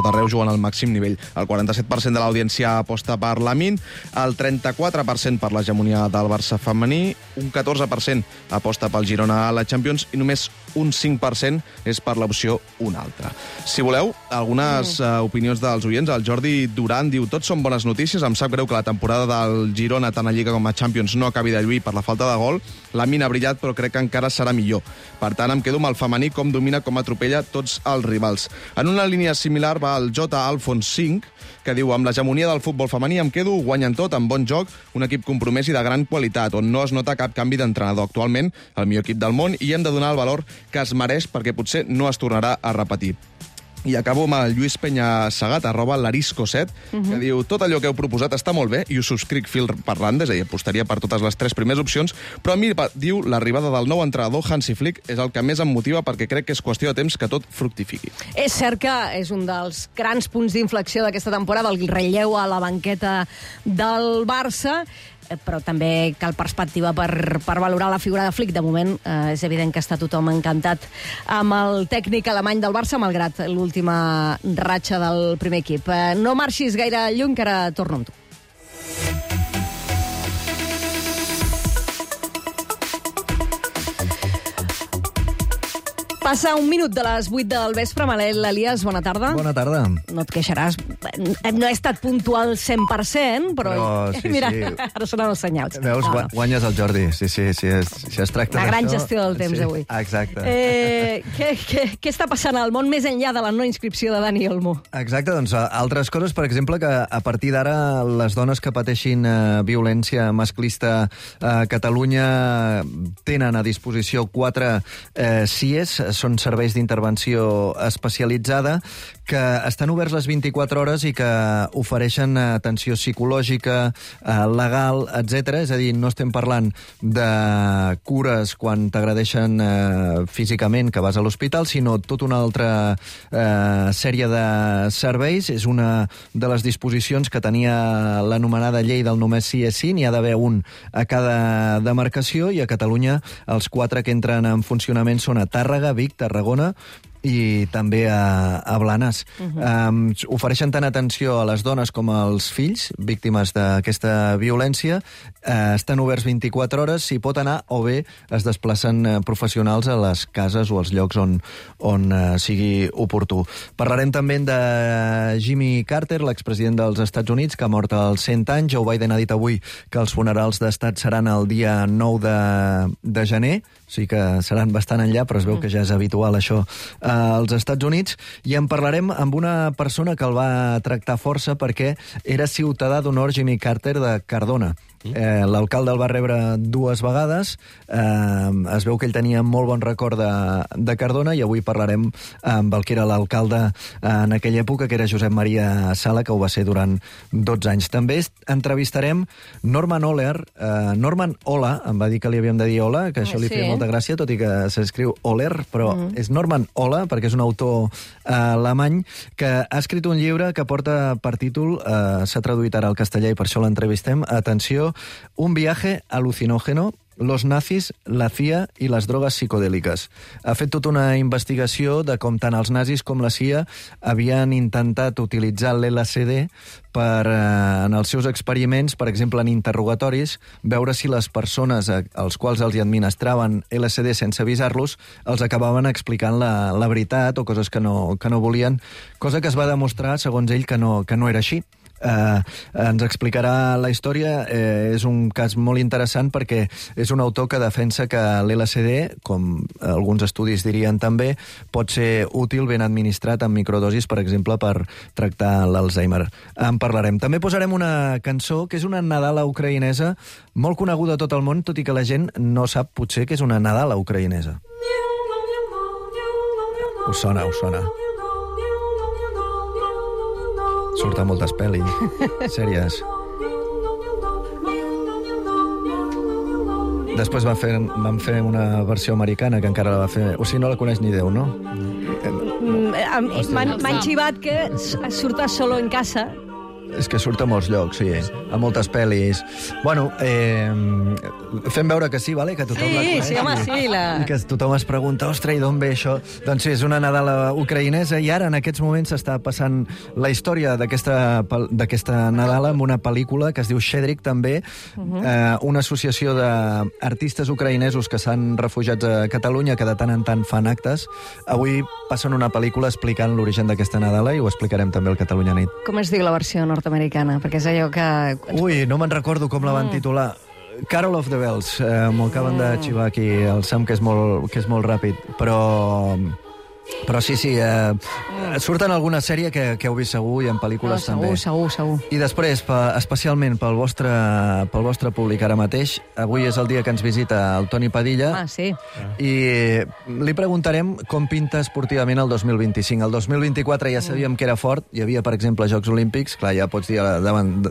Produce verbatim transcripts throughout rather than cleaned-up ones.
tot arreu juguen al màxim nivell. El quaranta-set per cent de l'audiència aposta per Lamine, el trenta-quatre per cent per l'hegemonia del Barça femení, un catorze per cent aposta pel Girona a la Champions i només un cinc per cent és per l'opció una altra. Si voleu, algunes mm. uh, opinions dels oients. El Jordi Duran diu: tots són bones notícies, em sap greu que la temporada del Girona tant a Lliga com a Champions no acabi de lluir per la falta de gol. Lamine ha brillat, però crec que encara serà millor. Per tant, em quedo amb el femení, com domina, com atropella tots els rivals. En una línia similar va el J. Alfons cinc, que diu: amb l'hegemonia del futbol femení em quedo, guanyen tot, amb bon joc, un equip compromès i de gran qualitat, on no es nota cap canvi d'entrenador. Actualment, el millor equip del món, i hem de donar el valor que es mereix, perquè potser no es tornarà a repetir. I acabo amb el Lluís Peña-Segat, arroba l'arisco set, uh-huh. que diu: tot allò que heu proposat està molt bé, i us subscric fil per randa, és a dir, apostaria per totes les tres primeres opcions, però a mi, diu, l'arribada del nou entrenador, Hansi Flick, és el que més em motiva, perquè crec que és qüestió de temps que tot fructifiqui. És cert que és un dels grans punts d'inflexió d'aquesta temporada, el relleu a la banqueta del Barça, però també cal perspectiva per, per valorar la figura de Flick. De moment eh, és evident que està tothom encantat amb el tècnic alemany del Barça, malgrat l'última ratxa del primer equip. Eh, no marxis gaire lluny, que ara torno amb tu. Passa un minut de les vuit del vespre. Manel Elias, bona tarda. Bona tarda. No et queixaràs. No he estat puntual cent per cent, però... però sí, mira, sí. Ara sonen els senyals. Veus, no, no. guanyes el Jordi. Sí, sí, sí, es, si es tracta d'això... La gran d'això, gestió del temps, sí, avui. Exacte. Eh, què, què, què està passant al món més enllà de la no inscripció de Dani Olmo? Exacte, doncs altres coses, per exemple, que a partir d'ara les dones que pateixin eh, violència masclista a Catalunya tenen a disposició quatre eh, C I E S, són serveis d'intervenció especialitzada, que estan oberts les vint-i-quatre hores i que ofereixen atenció psicològica, eh, legal, etcètera. És a dir, no estem parlant de cures quan t'agredeixen eh, físicament, que vas a l'hospital, sinó tota una altra eh, sèrie de serveis. És una de les disposicions que tenia l'anomenada llei del només sí és sí. N'hi ha d'haver un a cada demarcació, i a Catalunya els quatre que entren en funcionament són a Tàrrega, Vic, Tarragona i també a, a Blanes. Uh-huh. Um, ofereixen tant atenció a les dones com als fills víctimes d'aquesta violència. Uh, estan oberts vint-i-quatre hores, s'hi pot anar, o bé es desplacen uh, professionals a les cases o als llocs on, on uh, sigui oportú. Parlarem també de Jimmy Carter, l'expresident dels Estats Units, que ha mort als cent anys. Joe Biden ha dit avui que els funerals d'estat seran el dia nou de, de gener, o sigui que seran bastant enllà, però es veu que ja és habitual això als Estats Units. I en parlarem amb una persona que el va tractar força perquè era ciutadà d'honor, Jimmy Carter, de Cardona. Eh, l'alcalde el va rebre dues vegades, eh, es veu que ell tenia molt bon record de, de Cardona, i avui parlarem amb el que era l'alcalde en aquella època, que era Josep Maria Sala, que ho va ser durant dotze anys. També entrevistarem Norman Ohler. eh, Norman Ola, em va dir que li havíem de dir Ola, que això ah, li sí, feia eh? molta gràcia, tot i que s'escriu Ohler, però mm. és Norman Ola, perquè és un autor eh, alemany que ha escrit un llibre que porta per títol, eh, s'ha traduït ara al castellà i per això l'entrevistem, atenció, Un viaje alucinógeno, los nazis, la C I A i les drogues psicodèliques. Ha fet tota una investigació de com tant els nazis com la C I A havien intentat utilitzar l'L S D per, eh, en els seus experiments, per exemple, en interrogatoris, veure si les persones als quals els hi administraven L S D sense avisar-los els acabaven explicant la, la veritat o coses que no, que no volien, cosa que es va demostrar, segons ell, que no, que no era així. Uh, ens explicarà la història. Uh, és un cas molt interessant perquè és un autor que defensa que l'L S D, com alguns estudis dirien també, pot ser útil ben administrat en microdosis, per exemple, per tractar l'Alzheimer. En parlarem. També posarem una cançó que és una nadala ucraïnesa molt coneguda a tot el món, tot i que la gent no sap potser que és una nadala ucraïnesa. Us sona, us sona. Surt a moltes pel·lis, sèries. Després van fer, van fer una versió americana que encara la va fer... O sigui, no la coneix ni Déu, no? M'han xivat que surt a Solo en casa, És que surt a molts llocs, sí, a moltes pel·lis. Bueno, eh, fem veure que sí, vale? Que tothom sí, la coneix. Sí, home, sí. La... I que tothom es pregunta, ostres, i d'on ve això? Doncs sí, és una Nadala ucraïnesa i ara, en aquests moments, s'està passant la història d'aquesta d'aquesta Nadala amb una pel·lícula que es diu Shedrick, també, uh -huh. eh, una associació d'artistes ucraïnesos que s'han refugiat a Catalunya, que de tant en tant fan actes. Avui passen una pel·lícula explicant l'origen d'aquesta Nadala i ho explicarem també al Catalunya Nit. Com es diu la versió nord-americana? Perquè és allò que... Ui, no me'n recordo com la van mm. titular. Carol of the Bells. Eh, M'ho acaben mm. de xivar aquí el Sam, que és molt, que és molt ràpid. Però... Però sí, sí, eh, mm. surt en alguna sèrie que, que heu vist segur i en pel·lícules no, segur, també. Segur, segur, I després, pa, especialment pel vostre, pel vostre públic ara mateix, avui és el dia que ens visita el Toni Padilla. Ah, sí. I li preguntarem com pinta esportivament el dos mil vint-i-cinc. El dos mil vint-i-quatre ja sabíem que era fort, hi havia, per exemple, Jocs Olímpics, clar, ja pots dir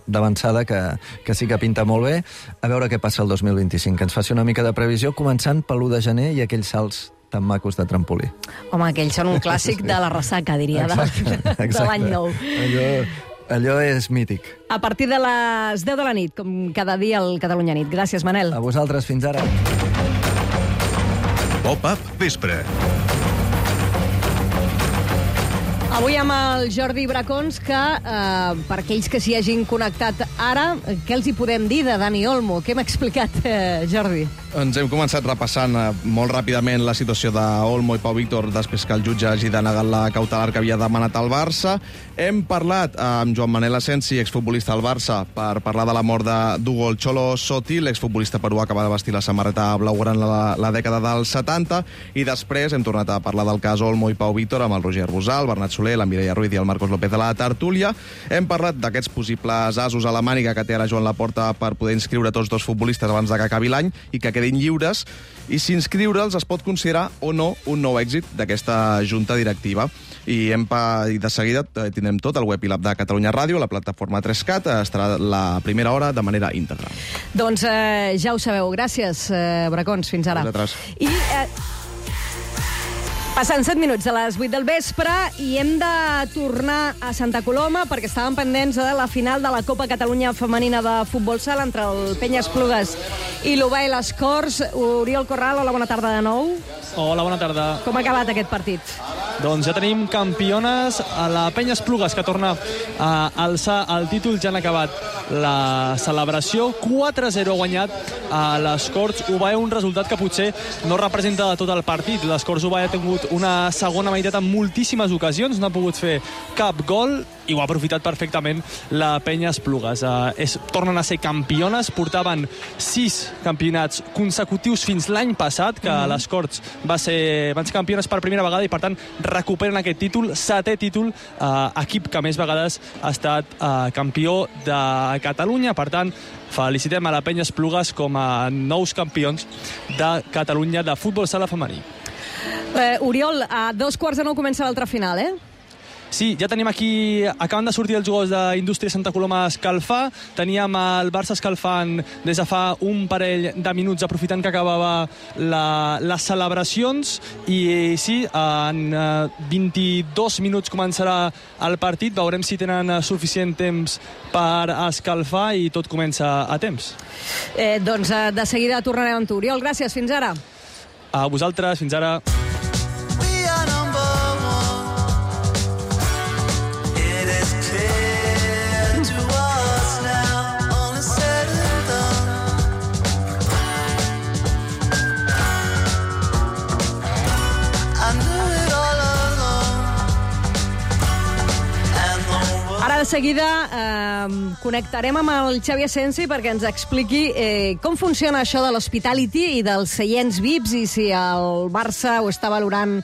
d'avançada que, que sí que pinta molt bé. A veure què passa el dos mil vint-i-cinc, que ens faci una mica de previsió, començant per l'u de gener i aquells salts tan macos de trampolí. Home, aquells són un clàssic de la ressaca, diria, exacte, de, exacte. de l'any nou. Allò, allò és mític. A partir de les deu de la nit, com cada dia al Catalunya Nit. Gràcies, Manel. A vosaltres, fins ara. Pop-up Vespre. Avui amb el Jordi Bracons, que eh, per aquells que s'hi hagin connectat ara, què els hi podem dir de Dani Olmo? Què m'ha explicat, eh, Jordi? Ens hem començat repassant eh, molt ràpidament la situació d'Olmo i Pau Víctor després que el jutge hagi denegat la cautelar que havia demanat al Barça. Hem parlat amb Joan Manel Asensi, exfutbolista del Barça, per parlar de la mort d'Hugo el Cholo Sotil, l'exfutbolista peruà que va vestir la samarreta blaugrana en la, la dècada dels setanta, i després hem tornat a parlar del cas Olmo i Pau Víctor amb el Roger Rosal, el Bernat Soler, la Mireia Ruiz i el Marcos López de la tertúlia. Hem parlat d'aquests possibles asos a la màniga que té ara Joan Laporta per poder inscriure tots dos futbolistes abans de que acabi l'any i que quedin lliures, i si inscriure'ls es pot considerar o no un nou èxit d'aquesta junta directiva. I, hem pa... I de seguida tindrem tot el web i l'app de Catalunya Ràdio, la plataforma tres cat, estarà la primera hora de manera íntegra. Doncs eh, ja ho sabeu. Gràcies, eh, Bracons. Fins ara. Vosaltres. I... Eh... Passen set minuts a les vuit del vespre i hem de tornar a Santa Coloma perquè estàvem pendents de la final de la Copa Catalunya Femenina de Futbol Sala entre el Penyes-Plugues i l'Ubay Les Corts. Oriol Corral, hola, bona tarda de nou. Hola, bona tarda. Com ha acabat aquest partit? Doncs ja tenim campiones a la Penyes-Plugues, que torna a alçar el títol. Ja han acabat la celebració. quatre a zero ha guanyat a les Corts Ubay, un resultat que potser no representa tot el partit. Les Corts Ubay ha tingut una segona meitat en moltíssimes ocasions, no ha pogut fer cap gol i ho ha aprofitat perfectament la Penyes-Plugues. Uh, és, tornen a ser campiones, portaven sis campionats consecutius fins l'any passat, que mm-hmm. les Corts va ser, van ser campiones per primera vegada i, per tant, recuperen aquest títol, setè títol, uh, equip que més vegades ha estat uh, campió de Catalunya. Per tant, felicitem a la Penyes-Plugues com a nous campions de Catalunya de futbol sala femení. Eh, Oriol, a dos quarts de nou comença l'altra final, eh? Sí, ja tenim aquí, acaben de sortir els jugadors d'Indústria Santa Coloma a escalfar. Teníem el Barça escalfant des de fa un parell de minuts, aprofitant que acabava la, les celebracions. I sí, en vint-i-dos minuts començarà el partit. Veurem si tenen suficient temps per escalfar i tot comença a temps. Eh, doncs de seguida tornarem amb tu. Oriol, gràcies, fins ara. A vosaltres, fins ara. De seguida eh, connectarem amb el Xavi Asensi perquè ens expliqui eh, com funciona això de l'hospitality i dels seients V I Ps i si el Barça ho està valorant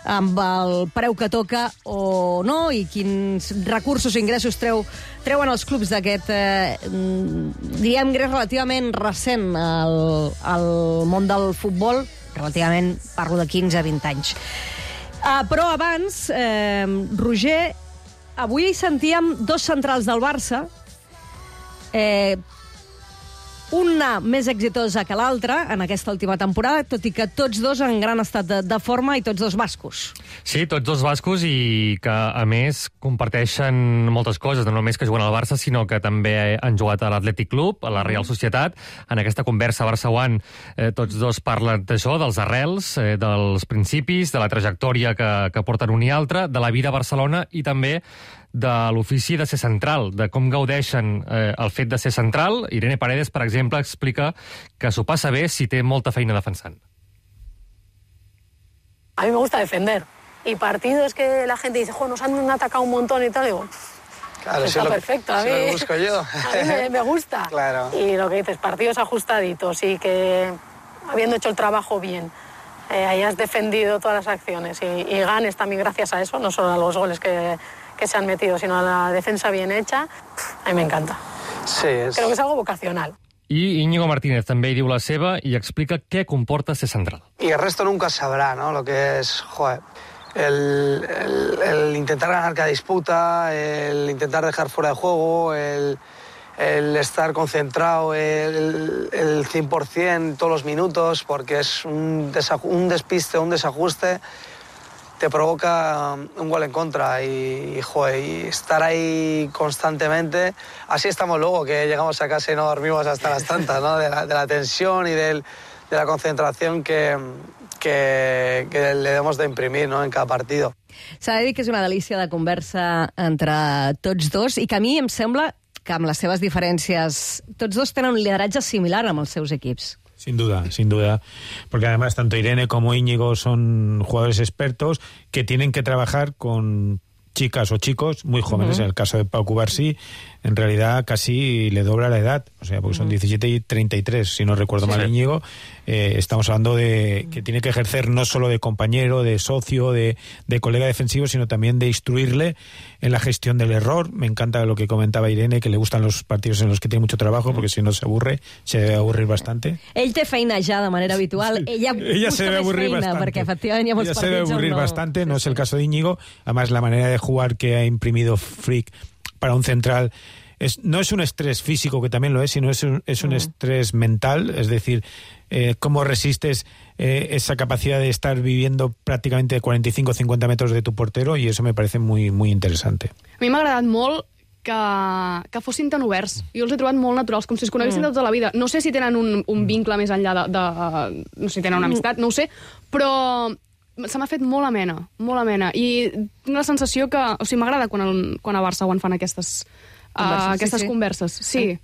amb el preu que toca o no i quins recursos i ingressos treu, treuen els clubs d'aquest, eh, diríem, ingrés relativament recent al, al món del futbol, relativament parlo de quinze a vint anys. Uh, però abans, eh, Roger, avui sentíem dos centrals del Barça. Eh, una més exitosa que l'altra en aquesta última temporada, tot i que tots dos en gran estat de, de forma i tots dos bascos. Sí, tots dos bascos i que, a més, comparteixen moltes coses, no només que juguen al Barça, sinó que també han jugat a l'Atlètic Club, a la Real Societat. En aquesta conversa Barça-One eh, tots dos parlen d'això, dels arrels, eh, dels principis, de la trajectòria que, que porten un i altre, de la vida a Barcelona i també de l'ofici de ser central, de com gaudeixen eh, el fet de ser central. Irene Paredes, per exemple, explica que s'ho passa bé si té molta feina defensant. A mí me gusta defender. Y partidos que la gente dice, jo, nos han atacado un montón y tal, digo, claro, está si perfecto, lo, a mí, si lo busco yo. A mí me, me gusta. Claro. Y lo que dices, partidos ajustaditos y que habiendo hecho el trabajo bien, eh, hayas defendido todas las acciones y, y ganes también gracias a eso, no solo a los goles que, que se han metido, sino a la defensa bien hecha, a mí me encanta. Sí, es... Creo que es algo vocacional. I Íñigo Martínez també hi diu la seva i explica què comporta ser central. Y el resto nunca sabrá, ¿no? Lo que es, joder, el, el, el intentar ganar cada disputa, el intentar dejar fuera de juego, el, el estar concentrado, el, el cien por ciento todos los minutos, porque es un, desa, un despiste, un desajuste, te provoca un gol en contra y, y, joder, y estar ahí constantemente. Así estamos luego, que llegamos a casa y no dormimos hasta las tantas, ¿no? De la, de la tensión y del, de la concentración que, que, que le debemos de imprimir, ¿no? En cada partido. S'ha de dir que és una delícia de conversa entre tots dos i que a mi em sembla que amb les seves diferències tots dos tenen un lideratge similar amb els seus equips. Sin duda, sin duda, porque además tanto Irene como Íñigo son jugadores expertos que tienen que trabajar con chicas o chicos muy jóvenes. Uh-huh. En el caso de Pau Cubarsí, en realidad casi le dobla la edad, o sea, porque uh-huh. son diecisiete y treinta y tres, si no recuerdo sí. mal, Íñigo. Eh, estamos hablando de que tiene que ejercer no solo de compañero, de socio, de, de colega defensivo, sino también de instruirle en la gestión del error. Me encanta lo que comentaba Irene, que le gustan los partidos en los que tiene mucho trabajo, porque si no se aburre, se debe aburrir bastante. Ell té feina ja de manera habitual, ella, ella se debe aburrir feina, bastante. Perquè efectivament hi ha molts ella partits se debe aburrir no... bastante, no es el caso de Íñigo. Además, la manera de jugar que ha imprimido Frick para un central es, no es un estrés físico, que también lo es, sino es un, es un uh-huh. estrés mental, es decir, eh, cómo resistes eh, esa capacidad de estar viviendo prácticamente cuarenta y cinco a cincuenta metros de tu portero, y eso me parece muy, muy interesante. A mi m'ha agradat molt que, que fossin tan oberts. Jo els he trobat molt naturals, com si es coneguessin mm. de tota la vida. No sé si tenen un, un vincle més enllà de, de... No sé si tenen una amistat, no ho sé, però se m'ha fet molt amena, molt amena. I tinc la sensació que... O sigui, m'agrada quan, el, quan a Barça One fan aquestes, converses, uh, aquestes sí, sí. converses. Sí. Eh.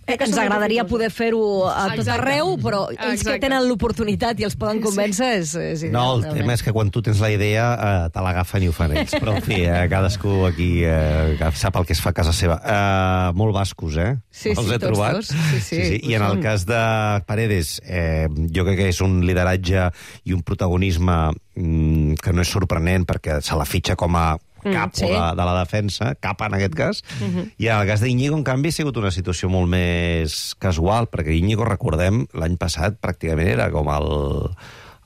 Ens agradaria poder fer-ho a tot Exacte. Arreu, però ells Exacte. Que tenen l'oportunitat i els poden convèncer és, és ideal. No, el realment. tema és que quan tu tens la idea eh, te l'agafen i ho fan ells. Però, en fi, eh, cadascú aquí eh, sap el que es fa a casa seva. Eh, molt bascos, eh? Sí, els sí, he tots trobat. dos. Sí, sí, sí, sí. I en el cas de Paredes, eh, jo crec que és un lideratge i un protagonisme mm, que no és sorprenent, perquè se la fitxa com a cap mm, sí. de, de la defensa, cap en aquest cas, uh-huh. i en el cas d'Íñigo, en canvi, ha sigut una situació molt més casual, perquè Íñigo, recordem, l'any passat pràcticament era com el,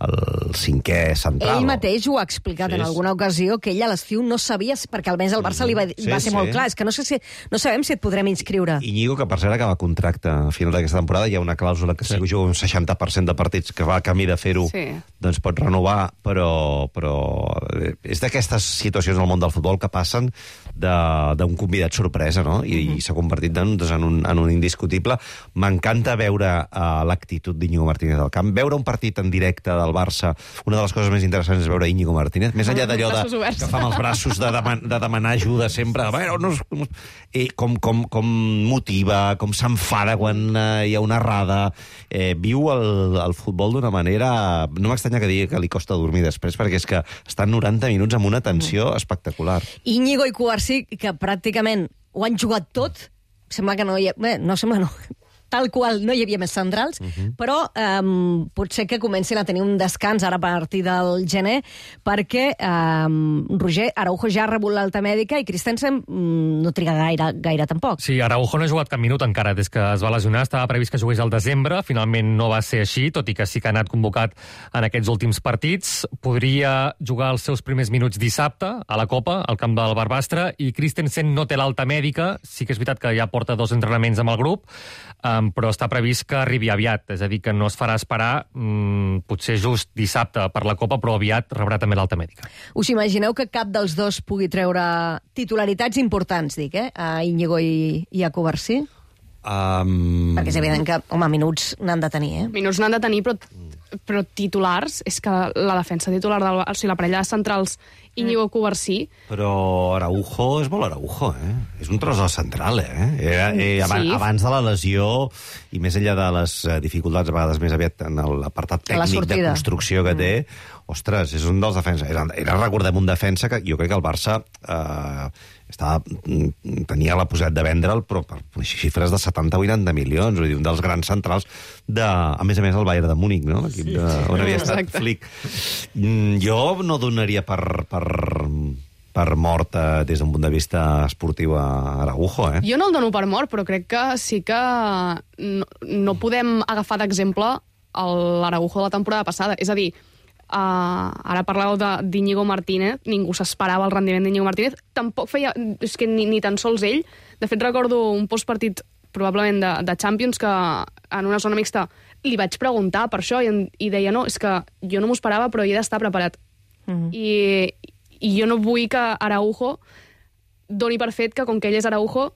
el cinquè central. Ell mateix ho ha explicat sí, en alguna ocasió, que ell a l'estiu no sabia, perquè almenys el Barça li va, sí, va ser sí. molt clar, és que no, sé si, no sabem si et podrem inscriure. Íñigo, que per cert acaba contracte a final d'aquesta temporada, hi ha una clàusula que sí. si juga un seixanta per cent de partits que va a camí de fer-ho, sí. doncs pot renovar, però, però és d'aquestes situacions al món del futbol que passen d'un convidat sorpresa, no? I, uh-huh. i s'ha convertit en, doncs, en, un, en un indiscutible. M'encanta veure uh, l'actitud d'Íñigo Martínez al camp, veure un partit en directe del Barça. Una de les coses més interessants és veure Íñigo Martínez, més enllà d'allò de, que fa amb els braços de, deman, de demanar ajuda sempre, a veure, no, no, eh, com, com, com motiva, com s'enfada quan eh, hi ha una errada, eh, viu el, el futbol d'una manera... No m'estranya que digui que li costa dormir després, perquè és que estan noranta minuts amb una tensió mm. espectacular. Íñigo i Cubarsí, que pràcticament ho han jugat tot, sembla que no hi ha... Bé, no sembla no... tal qual no hi havia més centrals, uh-huh. però um, potser que comencin a tenir un descans ara a partir del gener, perquè um, Roger Araujo ja ha rebut l'alta mèdica i Christensen um, no triga gaire, gaire tampoc. Sí, Araujo no ha jugat cap minut encara des que es va lesionar, estava previst que jugués al desembre, finalment no va ser així, tot i que sí que ha anat convocat en aquests últims partits. Podria jugar els seus primers minuts dissabte a la Copa, al camp del Barbastre, i Christensen no té l'alta mèdica, sí que és veritat que ja porta dos entrenaments amb el grup, um, però està previst que arribi aviat, és a dir, que no es farà esperar, um, potser just dissabte per la Copa, però aviat rebrà també l'alta mèdica. Us imagineu que cap dels dos pugui treure titularitats importants, dic, eh? A Íñigo i, i a Covarsí? Um... Perquè és evident que, home, minuts n'han de tenir, eh? Minuts n'han de tenir, però, però titulars, és que la defensa titular, del, o sigui, la parella de centrals Íñigo Covarsí... Però Araujo és molt Araujo, eh? És un tros central, eh? Era, eh abans, sí. abans de la lesió, i més enllà de les dificultats, a vegades més aviat en l'apartat tècnic de construcció que té, ostres, és un dels defenses. Era, era, recordem, un defensa que jo crec que el Barça eh, estava, tenia la possibilitat de vendre'l, però per xifres de setanta o vuitanta milions, vull dir, un dels grans centrals de, a més a més, el Bayern de Múnich, no? L'equip sí, de, on havia estat exacte. Flick. Jo no donaria per, per, per mort eh, des d'un punt de vista esportiu a Araujo, eh? Jo no el dono per mort, però crec que sí que no, no podem agafar d'exemple l'Araujo de la temporada passada. És a dir, Uh, ara parlàveu d'Íñigo Martínez, ningú s'esperava el rendiment d'Íñigo Martínez, tampoc feia, és que ni, ni tan sols ell. De fet, recordo un postpartit probablement de, de Champions que en una zona mixta li vaig preguntar per això i, i deia, no, és que jo no m'ho esperava, però he d'estar preparat. Uh-huh. I, I jo no vull que Araujo doni per fet que com que ell és Araujo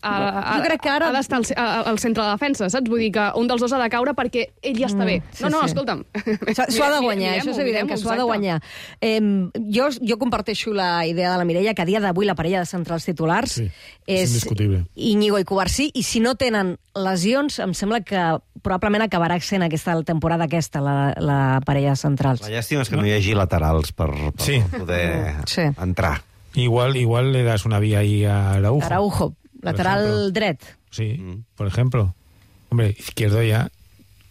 A, a, jo crec que ara ha d'estar al, al centre de la defensa, saps? Vull dir que un dels dos ha de caure perquè ell ja està bé. Mm, sí, no, no, sí. escolta'm. S'ho ha de guanyar, això és evident que s'ho ha de guanyar. Eh, jo, jo comparteixo la idea de la Mireia que a dia d'avui la parella de centrals titulars sí, és, és Íñigo i Covarsí, i si no tenen lesions, em sembla que probablement acabarà sent aquesta temporada aquesta, la, la parella de centrals. La llàstima és que no hi hagi laterals per, per sí. poder sí. entrar. Igual, igual le das una vía ahí a Araujo. Araujo. Lateral dret. Sí, mm. por ejemplo. Hombre, izquierdo ya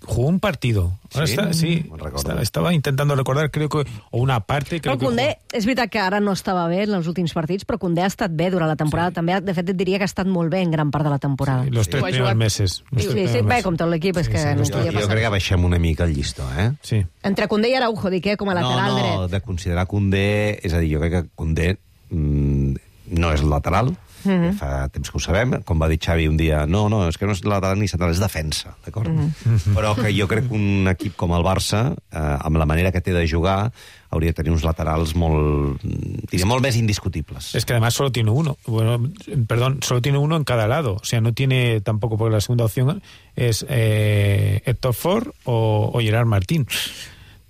jugó un partido. Ahora sí, está, sí está, estaba intentando recordar, creo que, o una parte... Creo però Koundé, que és veritat que ara no estava bé en els últims partits, però Koundé ha estat bé durant la temporada. Sí. També, de fet, et diria que ha estat molt bé en gran part de la temporada. Sí, los tres sí. primeros meses. Sí, sí, sí, bé, com tot l'equip, és que sí, sí, no jo, jo crec que baixem una mica el llistó, eh? Sí. Entre Koundé i Araujo, dic, eh, com a lateral no, no, dret. No, de considerar Koundé... És a dir, jo crec que Koundé mm, no és lateral, Mm-hmm. fa temps que ho sabem, com va dir Xavi un dia, no, no, és que no és lateral ni central, és defensa, d'acord? Mm-hmm. Però que jo crec que un equip com el Barça, eh, amb la manera que té de jugar, hauria de tenir uns laterals molt, diria, molt més indiscutibles. Es que además solo tiene uno, bueno, perdón, solo tiene uno en cada lado, o sea, no tiene tampoco, porque la segunda opción es eh, Héctor Ford o, o Gerard Martín.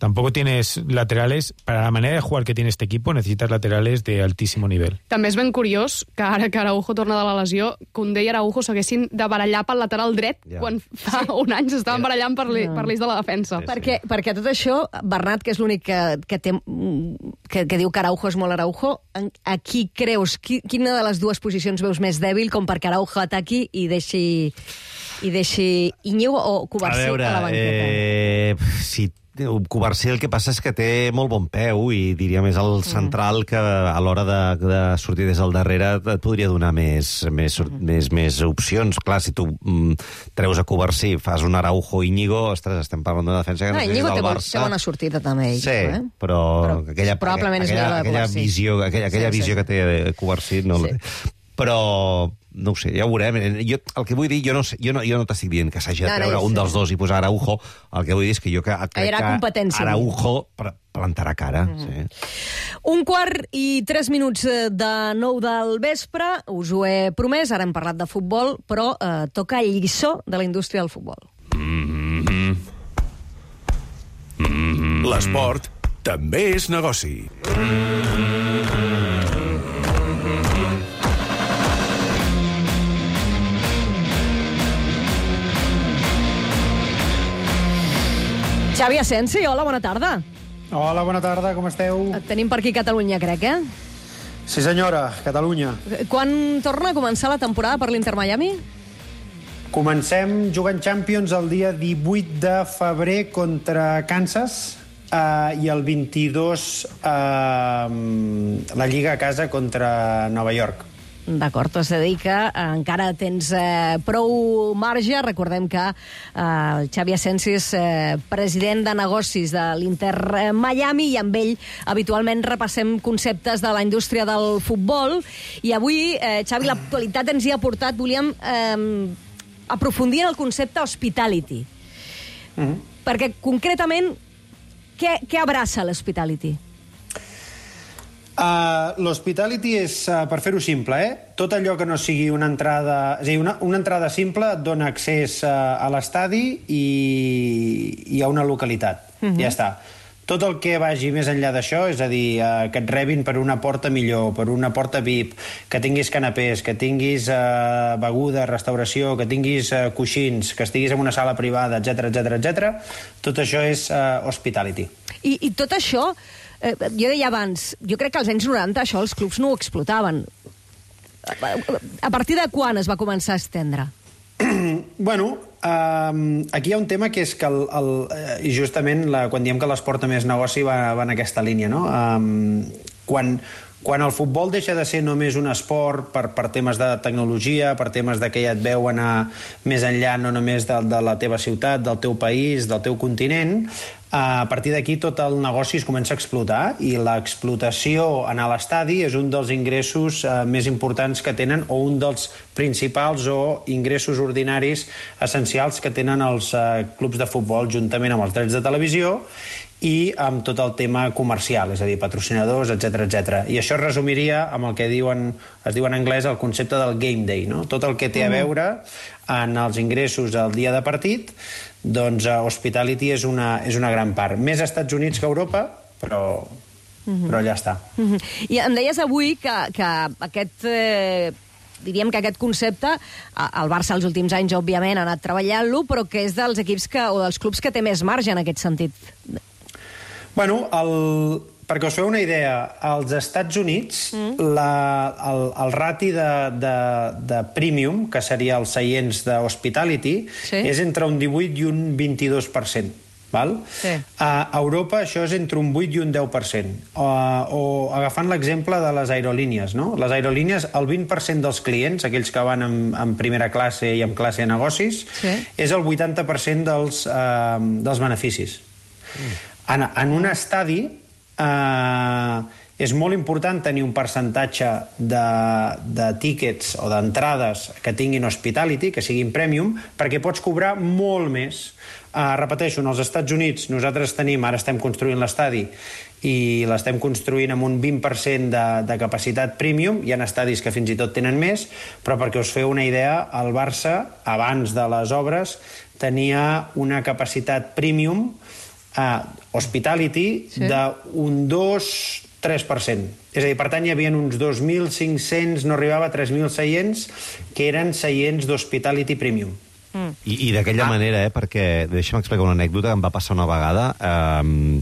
Tampoco tienes laterales, para la manera de jugar que tiene este equipo, necesitas laterales de altísimo nivel. També és ben curiós que ara que Araujo torna de la lesió, Koundé i Araujo s'haguessin de barallar pel lateral dret, ja. quan fa sí. un any s'estaven barallant per l'eix de la defensa. Sí, sí. Perquè, perquè tot això, Bernat, que és l'únic que, que, té, que, que diu que Araujo és molt Araujo, a qui creus, qui, quina de les dues posicions veus més dèbil com perquè Araujo ataqui i deixi, i deixi Íñigo o Covarsí a, a la banqueta? Eh, si Covarsí el que passa és que té molt bon peu i diria més el central que a l'hora de, de sortir des del darrere et podria donar més, més, més, més opcions. Clar, si tu mm, treus a Covarsí, fas un Araujo Íñigo, ostres, estem parlant d'una defensa que no, no sé si és del Barça. Té bona sortida també ell. Sí, eh? però, però aquella, probablement aquella, és aquella, aquella visió, aquella, aquella sí, visió sí. que té Covarsí no sí. la té. Però no ho sé, ja ho veurem. Jo, el que vull dir, jo no, sé, jo no, jo no t'estic dient que s'hagi de treure no, no, un sí. dels dos i posar Araujo. El que vull dir és que jo que, crec que Araujo plantarà cara. Mm. Sí. Un quart i tres minuts de nou del vespre. Us ho he promès, ara hem parlat de futbol, però eh, toca el lliçó de la indústria del futbol. Mm-hmm. Mm-hmm. L'esport també és negoci. Xavi Asensi, hola, bona tarda. Hola, bona tarda, com esteu? Et tenim per aquí a Catalunya, crec, eh? Sí, senyora, Catalunya. Quan torna a començar la temporada per l'Inter Miami? Comencem jugant Champions el dia divuit de febrer contra Kansas eh, i el vint-i-dos eh, la Lliga a casa contra Nova York. D'acord, és a dir que eh, encara tens eh, prou marge. Recordem que eh, el Xavi Asensi és eh, president de negocis de l'Inter Miami i amb ell habitualment repassem conceptes de la indústria del futbol. I avui, eh, Xavi, l'actualitat ens hi ha portat. Volíem eh, aprofundir en el concepte hospitality. Mm-hmm. Perquè, concretament, què, què abraça l'hospitality? Uh, L'hospitality és, uh, per fer-ho simple, eh? tot allò que no sigui una entrada... És a dir, una, una entrada simple et dona accés uh, a l'estadi i, i a una localitat. Mm-hmm. Ja està. Tot el que vagi més enllà d'això, és a dir, uh, que et rebin per una porta millor, per una porta V I P, que tinguis canapés, que tinguis uh, beguda, restauració, que tinguis uh, coixins, que estiguis en una sala privada, etcètera, etcètera, etcètera, tot això és uh, hospitality. I, I tot això... Eh, jo deia abans, jo crec que als anys noranta això els clubs no ho explotaven. A partir de quan es va començar a estendre? Bueno, um, aquí hi ha un tema que és que, el, el, i justament la, quan diem que l'esport més negoci va, va en aquesta línia, no? Um, quan, quan el futbol deixa de ser només un esport per, per temes de tecnologia, per temes de que ja et veu anar més enllà, no només de, de la teva ciutat, del teu país, del teu continent, a partir d'aquí tot el negoci es comença a explotar i l'explotació en l'estadi és un dels ingressos eh, més importants que tenen o un dels principals o ingressos ordinaris essencials que tenen els eh, clubs de futbol juntament amb els drets de televisió i amb tot el tema comercial, és a dir, patrocinadors, etcètera, etcètera. I això es resumiria amb el que diuen, es diu en anglès el concepte del game day, no? Tot el que té a veure en els ingressos al dia de partit, doncs uh, hospitality és una, és una gran part. Més als Estats Units que a Europa, però, mm-hmm. però ja està. Mm-hmm. I em deies avui que, que aquest... Eh... diríem que aquest concepte, el Barça els últims anys, òbviament, ha anat treballant-lo, però que és dels equips que, o dels clubs que té més marge en aquest sentit. Bueno, el, perquè us feu una idea, als Estats Units mm. la, el, el rati de, de, de premium, que seria els seients d'hospitality, sí. és entre un divuit i un vint-i-dos per cent. Val? Sí. A Europa això és entre un vuit i un deu per cent. O, o agafant l'exemple de les aerolínies, no? Les aerolínies, el vint per cent dels clients, aquells que van en, en primera classe i en classe de negocis, sí. és el vuitanta per cent dels, eh, dels beneficis. Mm. En, en un estadi eh, és molt important tenir un percentatge de, de tíquets o d'entrades que tinguin hospitality, que siguin premium, perquè pots cobrar molt més. Uh, repeteixo, als Estats Units nosaltres tenim, ara estem construint l'estadi i l'estem construint amb un vint per cent de, de capacitat premium, hi ha estadis que fins i tot tenen més, però perquè us feu una idea, el Barça, abans de les obres, tenia una capacitat premium uh, hospitality sí. d'un dos tres per cent. És a dir, per tant, hi havia uns dos mil cinc-cents, no arribava a tres mil seients, que eren seients d'hospitality premium. Mm. I, i d'aquella ah. manera, eh, perquè deixa'm explicar una anècdota que em va passar una vegada eh,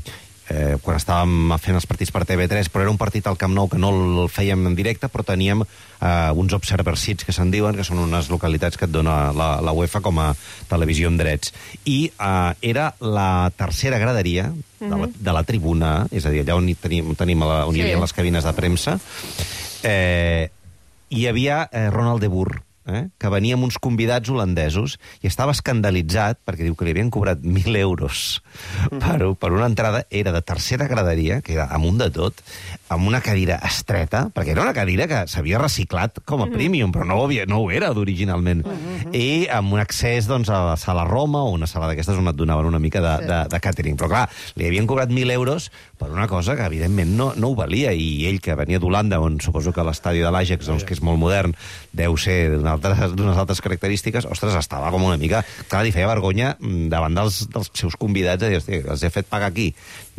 eh, quan estàvem fent els partits per T V tres, però era un partit al Camp Nou que no el fèiem en directe, però teníem eh, uns observer seats que se'n diuen, que són unes localitats que et dona la, la UEFA com a televisió amb drets. I eh, era la tercera graderia de la, de la tribuna, és a dir, allà on, tenim, tenim la, on sí. hi havia les cabines de premsa, eh, hi havia eh, Ronald de Boer, Eh, que venia amb uns convidats holandesos i estava escandalitzat perquè diu que li havien cobrat mil euros per, per una entrada, era de tercera graderia, que era amunt de tot, amb una cadira estreta, perquè era una cadira que s'havia reciclat com a premium, però no ho, havia, no ho era originalment, i amb un accés doncs, a la sala Roma o una sala d'aquestes on et donaven una mica de, de, de catering. Però clar, li havien cobrat mil euros per una cosa que evidentment no, no ho valia, i ell, que venia d'Holanda, on suposo que l'estadi de l'Ajax, doncs, que és molt modern, deu ser d'una d'unes altres característiques, ostres, estava com una mica... Clar, li feia vergonya davant dels, dels seus convidats, a dir, hosti, els he fet pagar aquí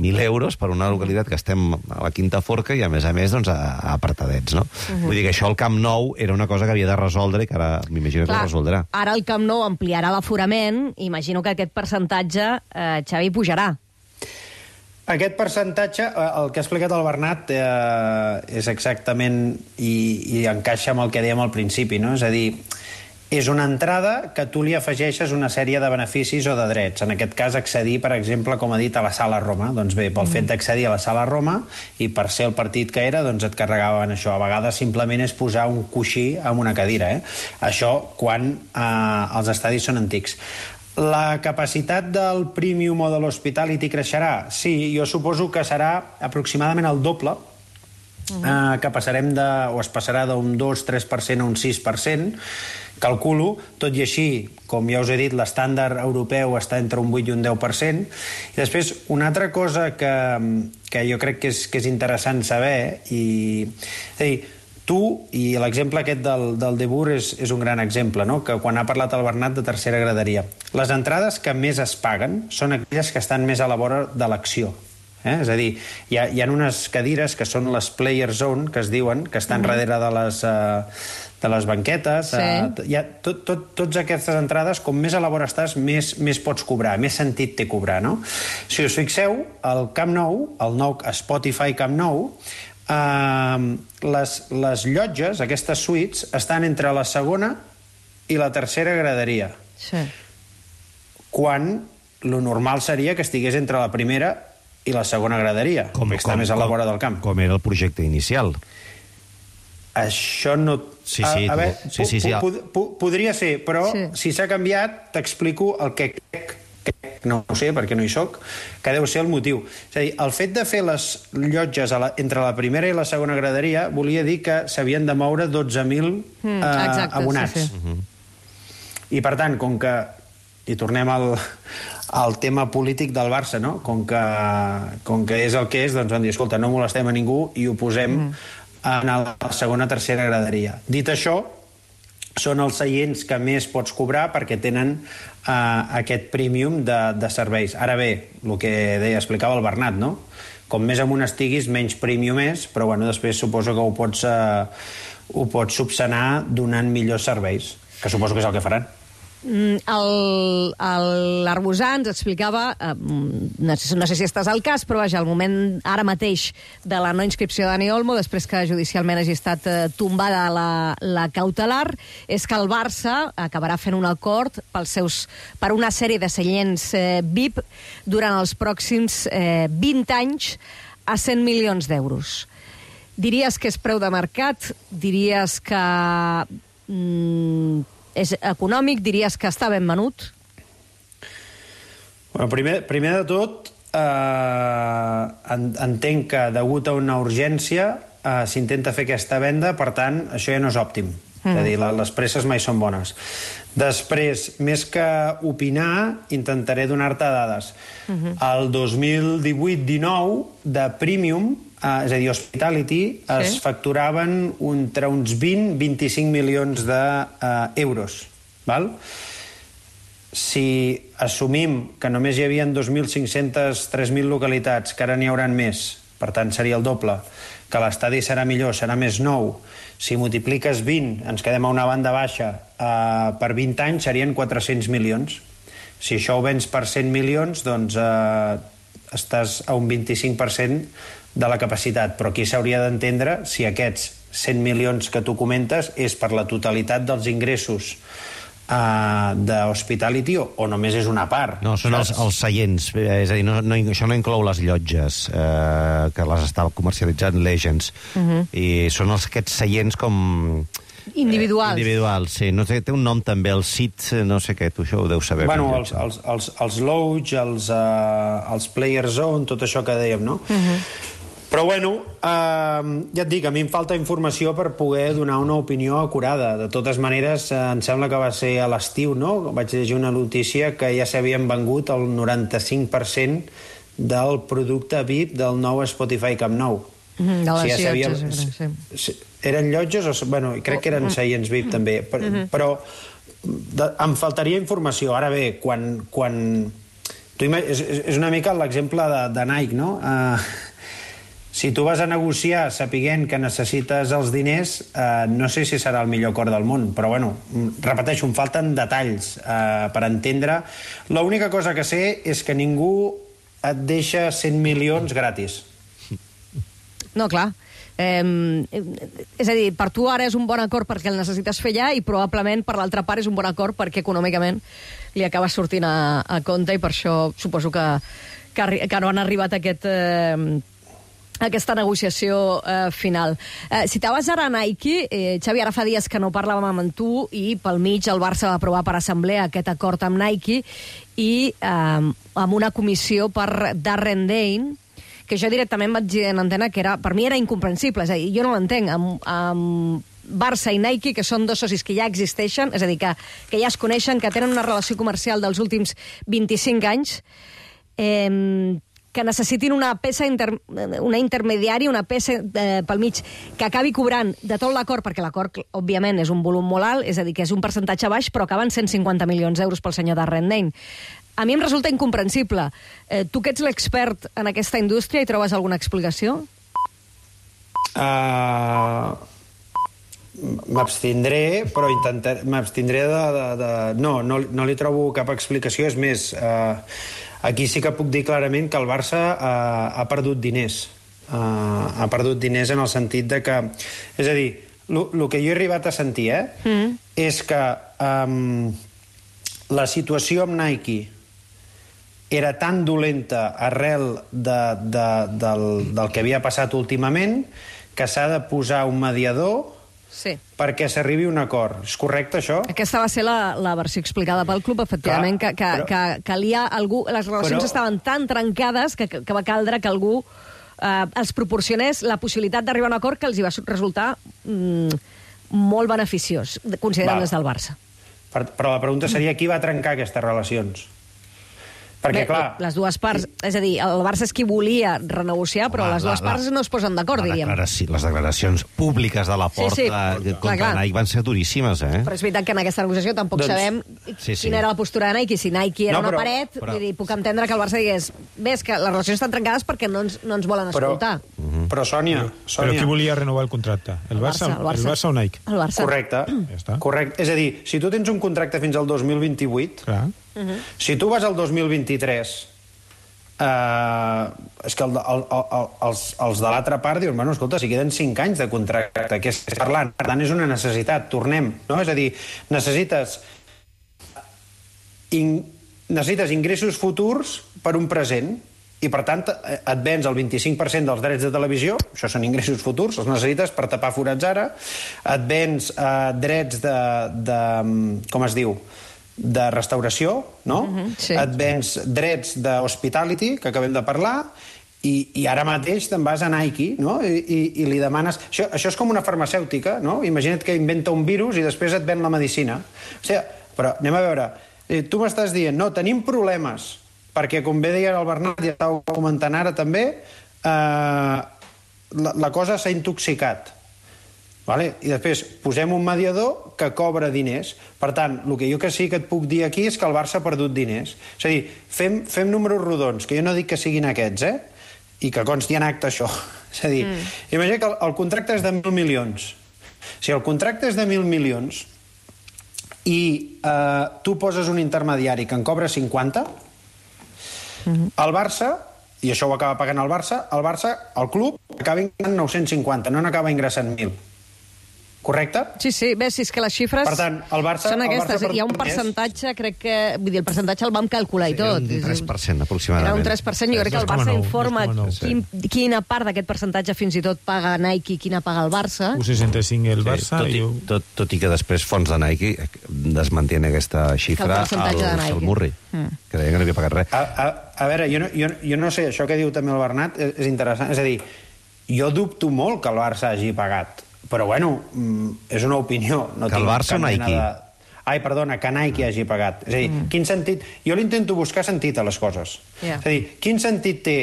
mil euros per una localitat que estem a la Quinta Forca i, a més a més, doncs, a, a apartadets, no? Uh-huh. Vull dir que això al Camp Nou era una cosa que havia de resoldre i que ara m'imagino que ho resoldrà. Ara el Camp Nou ampliarà l'aforament, imagino que aquest percentatge, eh, Xavi, pujarà. Aquest percentatge, el que ha explicat el Bernat, eh, és exactament, i, i encaixa amb el que dèiem al principi, no? És a dir, és una entrada que tu li afegeixes una sèrie de beneficis o de drets. En aquest cas, accedir, per exemple, com ha dit, a la Sala Roma. Doncs bé, pel mm. fet d'accedir a la Sala Roma, i per ser el partit que era, doncs et carregaven això. A vegades simplement és posar un coixí en una cadira, eh? Això quan eh, els estadis són antics. La capacitat del Premium o de l'Hospitality creixerà? Sí, jo suposo que serà aproximadament el doble uh-huh. eh, que passarem de, o es passarà d'un dos a tres per cent a un sis per cent, calculo, tot i així, com ja us he dit, l'estàndard europeu està entre un vuit i un deu per cent. I després, una altra cosa que, que jo crec que és, que és interessant saber, i, és a dir, tu, i l'exemple aquest del, del De Boer és, és un gran exemple, no? Que quan ha parlat el Bernat de tercera graderia. Les entrades que més es paguen són aquelles que estan més a la vora de l'acció. Eh? És a dir, hi ha, hi ha unes cadires que són les player zone, que es diuen, que estan mm-hmm. darrere de les, uh, de les banquetes. Sí. Uh, hi ha tot, tot, tots aquestes entrades, com més a la vora estàs, més, més pots cobrar, més sentit té cobrar, no? Si us fixeu, el Camp Nou, el nou Spotify Camp Nou, Uh, les, les llotges, aquestes suites, estan entre la segona i la tercera graderia. Sí. Quan lo normal seria que estigués entre la primera i la segona graderia, com, que està com, més a la vora del camp. Com era el projecte inicial. Això no... Sí, sí, a, a veure, sí, sí, sí, po, po, po, podria ser, però sí. Si s'ha canviat, t'explico el que crec, no ho sé perquè no hi soc, que deu ser el motiu. És a dir, el fet de fer les llotges a la, entre la primera i la segona graderia volia dir que s'havien de moure dotze mil mm, eh, abonats. Sí, sí. Uh-huh. I per tant, com que... I tornem al, al tema polític del Barça, no? Com que, com que és el que és, doncs van dir, escolta, no molestem a ningú i ho posem mm. en la segona o tercera graderia. Dit això, són els seients que més pots cobrar perquè tenen uh, aquest premium de, de serveis. Ara bé, el que deia, explicava el Bernat, no? Com més amunt estiguis, menys premium és, però bueno, després suposo que ho pots, uh, ho pots subsanar donant millors serveis, que suposo que és el que faran. L'Arbusà ens explicava, eh, no, sé, no sé si estàs al cas, però vaja, al moment ara mateix de la no inscripció de Dani Olmo, després que judicialment hagi estat eh, tombada la, la cautelar, és que el Barça acabarà fent un acord pels seus, per una sèrie de seients eh, V I P durant els pròxims eh, vint anys a cent milions d'euros. Diries que és preu de mercat? Diries que... Mm, és econòmic? Diries que està ben venut? Bueno, primer, primer de tot, eh, entenc que degut a una urgència eh, s'intenta fer aquesta venda, per tant, això ja no és òptim. Mm. És a dir, les presses mai són bones. Després, més que opinar, intentaré donar-te dades. Mm-hmm. El dos mil divuit dinou, de Premium, Uh, és a dir, Hospitality, sí. Es facturaven entre uns vint a vint-i-cinc milions d'euros. Val? Si assumim que només hi havia dos mil cinc-centes tres mil localitats, que ara n'hi hauran més, per tant seria el doble, que l'estadi serà millor, serà més nou, si multipliques vint, ens quedem a una banda baixa, uh, per vint anys serien quatre-cents milions. Si això ho vens per cent milions, doncs uh, estàs a un vint-i-cinc per cent de la capacitat, però aquí s'hauria d'entendre si aquests cent milions que tu comentes és per la totalitat dels ingressos uh, d'Hospitality o, o només és una part. No, són els, els seients, és a dir, no, no, això no inclou les llotges eh, que les està comercialitzant Legends, uh-huh. I són els, aquests seients com... Individuals. Eh, individuals, sí. No sé, té un nom també, el S I T, no sé què, tu això ho deus saber. Bueno, els, els, els, els Lodge, els, uh, els Player Zone, tot això que dèiem, no? Uh-huh. Però bueno, eh, ja et dic, a mi em falta informació per poder donar una opinió acurada. De totes maneres, eh, em sembla que va ser a l'estiu, no? Vaig llegir una notícia que ja s'havien vengut el noranta-cinc per cent del producte V I P del nou Spotify Camp Nou. Mm, de les o sigui, ja llotges, havia... sí. Eren llotges o... Bueno, crec que eren seients V I P, també. Per, mm-hmm. Però de, em faltaria informació. Ara bé, quan... quan tu és, és una mica l'exemple de, de Nike, no? Uh, si tu vas a negociar sapiguent que necessites els diners, uh, no sé si serà el millor acord del món, però bueno, repeteixo, em falten detalls uh, per entendre. L'única cosa que sé és que ningú et deixa cent milions gratis. No, clar. Eh, és a dir, per tu ara és un bon acord perquè el necessites fer ja i probablement per l'altra part és un bon acord perquè econòmicament li acaba sortint a, a compte i per això suposo que, que, que no han arribat a aquest... Eh, aquesta negociació eh, final. Eh, citaves ara Nike, eh, Xavi, ara fa dies que no parlàvem amb tu i pel mig el Barça va aprovar per assemblea aquest acord amb Nike i eh, amb una comissió per Darren Dane, que jo directament vaig dir en antena que era, per mi era incomprensible, és a dir, jo no l'entenc, amb, amb Barça i Nike, que són dos socis que ja existeixen, és a dir, que, que ja es coneixen, que tenen una relació comercial dels últims vint-i-cinc anys, eh, que necessitin una peça inter, una intermediària, una peça eh, pel mig, que acabi cobrant de tot l'acord, perquè l'acord, òbviament, és un volum molt alt, és a dir, que és un percentatge baix, però acaben cent cinquanta milions d'euros pel senyor Darren Dane. A mi em resulta incomprensible. Eh, tu que ets l'expert en aquesta indústria, hi trobes alguna explicació? Uh, m'abstindré, però intentaré... M'abstindré de... de, de no, no, no li trobo cap explicació. És més, uh, aquí sí que puc dir clarament que el Barça uh, ha perdut diners. Uh, ha perdut diners en el sentit de que... És a dir, el que jo he arribat a sentir, eh, mm. és que um, la situació amb Nike era tan dolenta arrel de, de, del, del que havia passat últimament que s'ha de posar un mediador sí. perquè s'arribi a un acord. És correcte, això? Aquesta va ser la, la versió explicada pel club, efectivament, Clar, que, que, però, que calia algú... Les relacions però, estaven tan trencades que, que va caldre que algú eh, els proporcionés la possibilitat d'arribar a un acord que els hi va resultar mm, molt beneficiós, considerant des del Barça. Per, però la pregunta seria qui va trencar aquestes relacions? Perquè, Bé, clar... les dues parts... És a dir, el Barça és qui volia renegociar, però Home, les dues la, parts no es posen d'acord, diríem. Declaració, les declaracions públiques de la Porta sí, sí. contra clar, Nike van ser duríssimes, eh? Però és veritat que en aquesta negociació tampoc doncs, sabem sí, sí. quina era la postura de Nike. Si Nike era no, però, una paret, però... vull dir, puc entendre que el Barça digués bé, és que les relacions estan trencades perquè no ens, no ens volen però, escoltar. Uh -huh. Però, Sònia, Sònia... Però qui volia renovar el contracte? El, el, Barça, Barça, el, Barça. el Barça o Nike? El Barça. Correcte. Ja està. Correcte. És a dir, si tu tens un contracte fins al dos mil vint-i-vuit, clar. Uh -huh. si tu vas al dos mil vint-i-tres... Uh, és que el, el, el, els, els de l'altra part diuen, bueno, escolta, si queden cinc anys de contracte, què estàs parlant? Per tant, és una necessitat, tornem, no? És a dir, necessites in, necessites ingressos futurs per un present i, per tant, et vens el vint-i-cinc per cent dels drets de televisió, això són ingressos futurs, els necessites per tapar forats ara, et vens uh, drets de, de... com es diu? de restauració, no? Uh-huh, sí. Et vens drets d'hospitality, que acabem de parlar, i, i ara mateix te'n vas a Nike, no? I, i, i li demanes... Això, això és com una farmacèutica, no? Imagina't que inventa un virus i després et ven la medicina. O sigui, però anem a veure, tu m'estàs dient, no, tenim problemes, perquè, com bé deia el Bernat, ja estava comentant ara també, eh, la, la cosa s'ha intoxicat. Vale? I després posem un mediador que cobra diners. Per tant, el que jo que sí que et puc dir aquí és que el Barça ha perdut diners. És a dir, fem, fem números rodons, que jo no dic que siguin aquests, eh? I que consti en acte això. És a dir, mm. imagina que el, el contracte és de mil milions. Si el contracte és de mil milions i eh, tu poses un intermediari que en cobra cinquanta, mm-hmm. el Barça, i això ho acaba pagant el Barça, el Barça, el club, acaba ingressant nou-cents cinquanta, no n'acaba ingressant mil. Correcte? Sí, sí, bé, si és que les xifres per tant, el Barça, són aquestes. El Barça hi ha un percentatge, crec que... Vull dir, el percentatge el vam calcular sí, i tot. Era un tres per cent, aproximadament. Era un tres per cent. Jo crec que el Barça informa quin, quina part d'aquest percentatge fins i tot paga Nike i quina paga el Barça. un seixanta-cinc el Barça... Sí, tot, i, tot, tot i que després fons de Nike desmantien aquesta xifra al Salmurri, mm. que deia que no havia pagat res. A, a, a veure, jo no, jo, jo no sé, això que diu també el Bernat és, és interessant. És a dir, jo dubto molt que el Barça hagi pagat. Però, bueno, és una opinió. No que el Barça o Nike? De... Ai, perdona, que Nike hagi pagat. És a dir, mm. quin sentit... Jo l'intento buscar sentit a les coses. Yeah. És a dir, quin sentit té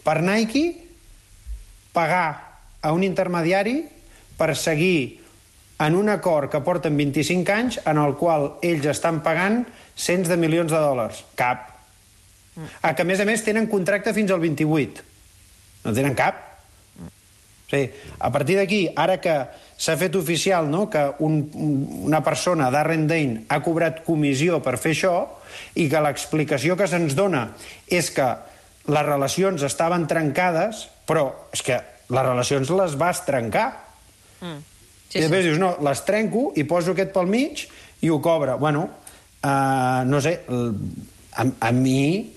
per Nike pagar a un intermediari per seguir en un acord que porten vint-i-cinc anys en el qual ells estan pagant cents de milions de dòlars? Cap. Mm. A que, a més a més, tenen contracte fins al vint-i-vuit. No tenen cap. Sí, a partir d'aquí, ara que s'ha fet oficial, no?, que un, una persona, Darren Dane, ha cobrat comissió per fer això i que l'explicació que se'ns dona és que les relacions estaven trencades, però és que les relacions les vas trencar. Mm. Sí, I després sí. dius, no, les trenco i poso aquest pel mig i ho cobra. Bueno, uh, no sé, a, a mi...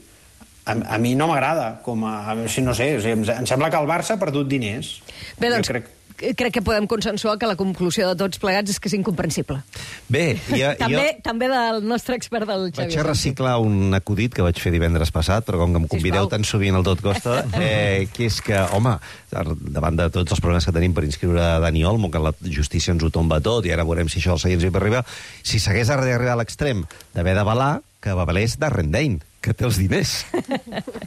A, a mi no m'agrada, com a... Si no sé, o sigui, em sembla que el Barça ha perdut diners. Bé, doncs, crec... crec que podem consensuar que la conclusió de tots plegats és que és incomprensible. Bé, jo... també, jo... també del nostre expert, del Xavier. Vaig a reciclar un acudit que vaig fer divendres passat, però com que em convideu tan sovint al Tot Costa, eh, que és que, home, davant de tots els problemes que tenim per inscriure Dani Olmo, que la justícia ens ho tomba tot, i ara veurem si això als seients hi per arribar, si s'hagués d'arribar a l'extrem d'haver d'avalar, que avalés Darren Dane, que té els diners.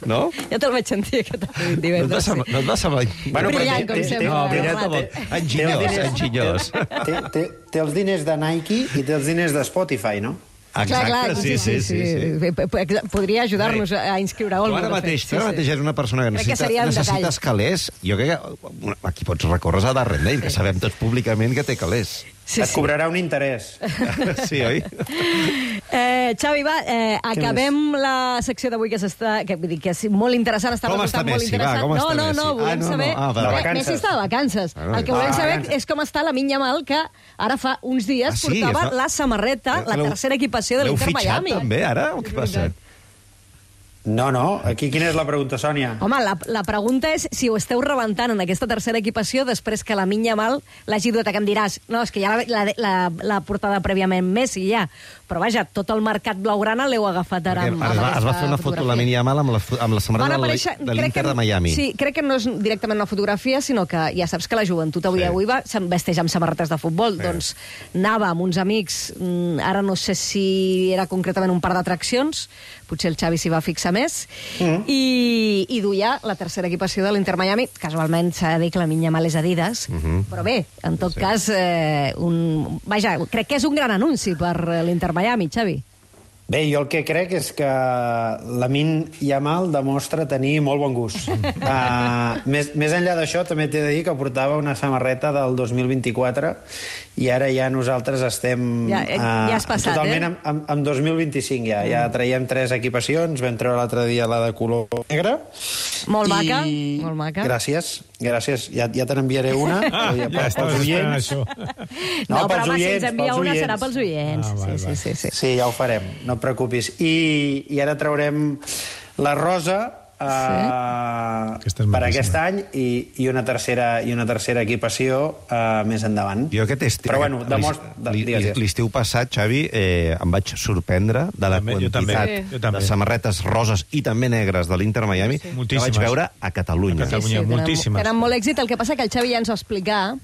No? Ja te'l vaig sentir, que t'ha dit divendres. No et va semblar... Bueno, brillant, com sempre. No, brillant com... Enginyós, enginyós. Té, té, té els diners de Nike i té els diners de Spotify, no? Exacte, clar, clar, sí, sí, sí, sí, sí. Podria ajudar-nos a inscriure Olmo. Tu ara mateix, tu ara mateix és una persona que necessita, que necessites calés. Jo crec que aquí pots recórrer a Darren Dane, que sabem tots públicament que té calés. Sí, Et sí. cobrarà un interès. Sí, oi? Eh, Xavi, va, eh, acabem la secció d'avui que s'està... Que, vull dir, que és molt interessant, està com resultant està molt Messi? interessant. Va, com no, està no, Messi? no, volem ah, no, saber... No. Ah, va, va. Messi està de vacances. Ah, no. El que volem ah, saber vacances. és com està la Lamine Yamal, que ara fa uns dies ah, sí? portava fa... la samarreta, la tercera equipació de l'Inter Miami. L'heu fitxat també, ara? O què passa? No, no. Aquí quina és la pregunta, Sònia? Home, la, la pregunta és si ho esteu rebentant en aquesta tercera equipació després que la Lamine Yamal l'hagi dut a que em diràs, no, és que ja l'ha la, la, la portada prèviament Messi, ja. Però vaja, tot el mercat blaugrana l'heu agafat ara amb, amb es, va, es va fer una foto la Lamine Yamal amb la, amb la samarreta aparèixer, de l'Inter de Miami. Sí, crec que no és directament una fotografia, sinó que ja saps que la joventut avui sí. avui va, se'n vesteix amb samarretes de futbol. Sí. Doncs anava amb uns amics, ara no sé si era concretament un par d'atraccions, potser el Xavi s'hi va fixar més, mm. i, i duia la tercera equipació de l'Inter Miami. Casualment s'ha de dir que la Lamine Yamal és Adidas, mm -hmm. però bé, en tot sí. cas, eh, un, vaja, crec que és un gran anunci per l'Inter Miami, Xavi. Bé, jo el que crec és que Lamine Yamal demostra tenir molt bon gust. Uh, més, més enllà d'això, també t'he de dir que portava una samarreta del dos mil vint-i-quatre i ara ja nosaltres estem ja, uh, ja has passat, totalment eh? amb, amb, amb dos mil vint-i-cinc ja. Mm. Ja traiem tres equipacions, vam treure l'altre dia la de color negre. Molt i... maca, molt maca. Gràcies, gràcies. Ja, ja te n'enviaré una. Ah, ja, ja estaves esperant això. No, no però home, si ens envia una serà pels oients. Ah, val, sí, val. Sí, sí, sí. sí, ja ho farem, no et preocupis. I, i ara traurem la rosa Uh, sí. per aquest any i, i, una tercera, i una tercera equipació uh, més endavant. Jo aquest estiu, Però bueno, demostra... l'estiu passat, Xavi, eh, em vaig sorprendre de la també, quantitat jo també. de samarretes roses i també negres de l'Inter Miami sí. que vaig veure a Catalunya. A Catalunya, sí, sí, moltíssimes. Tenen molt èxit, el que passa que el Xavi ja ens va explicar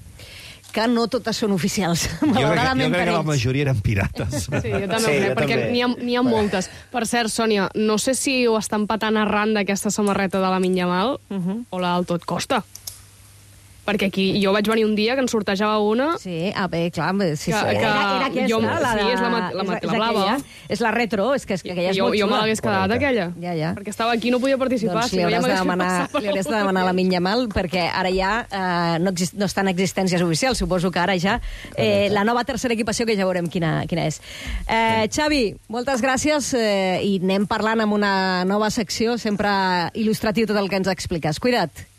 que no totes són oficials, malauradament per ells. Jo crec que la majoria eren pirates. Sí, jo també, sí, crec, jo perquè n'hi ha, ha moltes. Per cert, Sònia, no sé si ho estan patant arran d'aquesta samarreta de la Lamine Yamal uh -huh. o la del Tot Costa. Perquè aquí jo vaig venir un dia que en sortejava una... Sí, ah, bé, clar. Sí, que, sí. que era, era aquesta, jo, la, sí, és la, la, la, la, la blava. És la retro, és que, és que aquella és jo, molt jo xula. me l'hagués quedat, aquella. Ja, ja. Perquè estava aquí i no podia participar. Doncs si li no, ja hauràs, de demanar, li hauràs de demanar a la Lamine Yamal, perquè ara ja eh, no, exist, no estan existències oficials. Suposo que ara ja eh, la nova tercera equipació, que ja veurem quina, quina és. Eh, Xavi, moltes gràcies eh, i anem parlant amb una nova secció, sempre il·lustratiu tot el que ens expliques. Cuida't.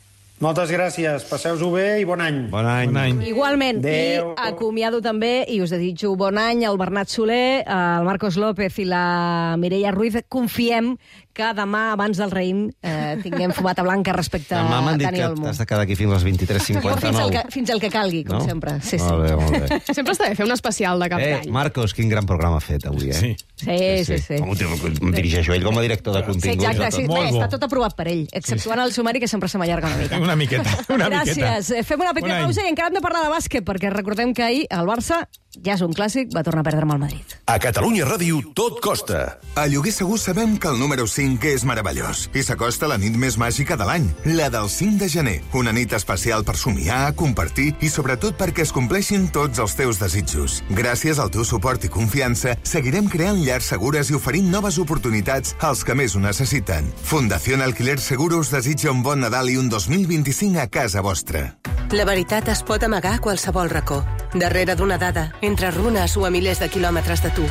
Moltes gràcies, passeu-ho bé i bon any. Bon any. Bon any. Igualment, Adéu. I acomiado també, i us desitjo bon any al Bernat Soler, al Marcos López i la Mireia Ruiz. Confiem que demà, abans del raïm, eh, tinguem fumata blanca respecte demà m'han dit Dani que Olmo. has de quedar aquí fins a les vint-i-tres cinquanta-nou. Jo fins al que, fins al que calgui, com no? sempre. Sí, molt sí. bé, molt bé. Sempre està bé fer un especial de cap Eh, d'any. Marcos, quin gran programa ha fet avui, eh? Sí. Sí, sí, sí. Com em dirigeixo ell com a director de Sí, continguts. exacte, sí. Molt Bé, bo. està tot aprovat per ell, exceptuant el sumari, que sempre se m'allarga una mica. Una miqueta, una miqueta. Gràcies. Fem una petita Bon any. pausa i encara hem de parlar de bàsquet, perquè recordem que ahir el Barça, ja és un clàssic, va tornar a perdre amb el Madrid. A Catalunya Ràdio tot costa. A Lloguer Segur sabem que el número cinc és meravellós i s'acosta la nit més màgica de l'any, la del cinc de gener. Una nit especial per somiar, compartir i sobretot perquè es compleixin tots els teus desitjos. Gràcies al teu suport i confiança, seguirem creant llars segures i oferint noves oportunitats als que més ho necessiten. Fundació Alquiler Seguro us desitja un bon Nadal i un dos mil vint-i-cinc a casa vostra. La veritat es pot amagar a qualsevol racó, darrere d'una dada, entre runes o a milers de quilòmetres de tu.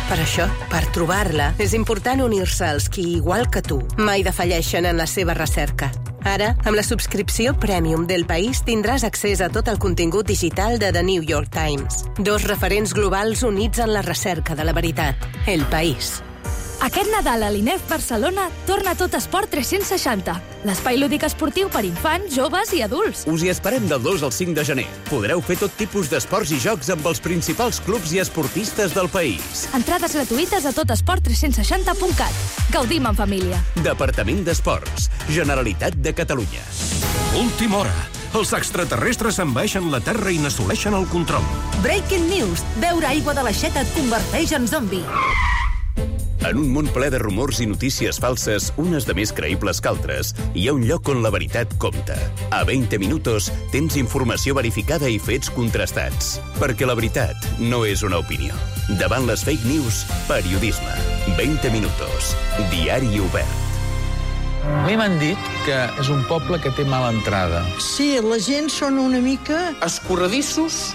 Per això, per trobar-la, és important unir-se als qui, igual que tu, mai defalleixen en la seva recerca. Ara, amb la subscripció Premium del País tindràs accés a tot el contingut digital de The New York Times. Dos referents globals units en la recerca de la veritat. El País. Aquest Nadal a l'INEF Barcelona torna Tot Esport tres-cents seixanta. L'espai lúdic esportiu per infants, joves i adults. Us hi esperem del dos al cinc de gener. Podreu fer tot tipus d'esports i jocs amb els principals clubs i esportistes del país. Entrades gratuïtes a totesport tres-cents seixanta punt cat. Gaudim en família. Departament d'Esports. Generalitat de Catalunya. Última hora. Els extraterrestres envaeixen la Terra i n'assoleixen el control. Breaking news. Beure aigua de l'aixeta et converteix en zombi. En un món ple de rumors i notícies falses, unes de més creïbles que altres, hi ha un lloc on la veritat compta. A vint minutos tens informació verificada i fets contrastats. Perquè la veritat no és una opinió. Davant les fake news, periodisme. vint minutos. Diari obert. A mi m'han dit que és un poble que té mala entrada. Sí, la gent són una mica... Escorredissos,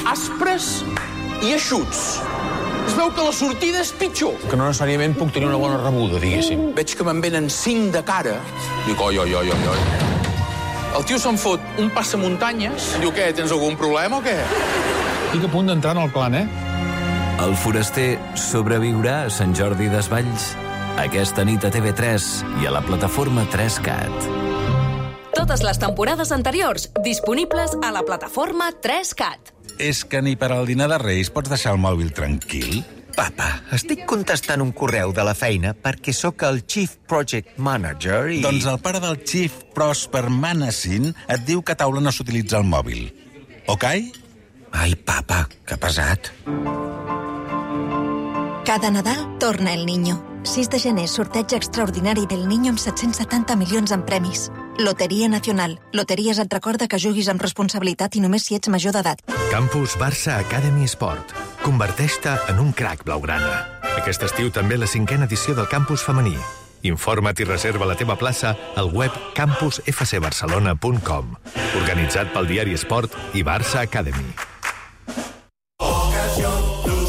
aspres i eixuts. Es veu que la sortida és pitjor. Que no necessàriament puc tenir una bona rebuda, diguéssim. Veig que me'n venen cinc de cara. Dic, oi, oi, oi, oi, oi. El tio se'n fot un passamuntanyes. Diu, què, tens algun problema o què? Estic a punt d'entrar en el clan, eh? El foraster sobreviurà a Sant Jordi Desvalls aquesta nit a T V tres i a la plataforma tres cat. Totes les temporades anteriors disponibles a la plataforma tres cat. És que ni per al dinar de Reis pots deixar el mòbil tranquil? Papa, estic contestant un correu de la feina perquè sóc el Chief Project Manager i... Doncs el pare del Chief Prosper Manassin et diu que a taula no s'utilitza el mòbil. Ok? Ai, papa, que pesat. Cada Nadal torna el Niño. sis de gener, sorteig extraordinari del Niño amb set-cents setanta milions en premis. Loteria Nacional. Loteries et recorda que juguis amb responsabilitat i només si ets major d'edat. Campus Barça Academy Sport. Converteix-te en un crac blaugrana. Aquest estiu també la cinquena edició del campus femení. Informa't i reserva la teva plaça al web campus f c barcelona punt com. Organitzat pel diari Esport i Barça Academy.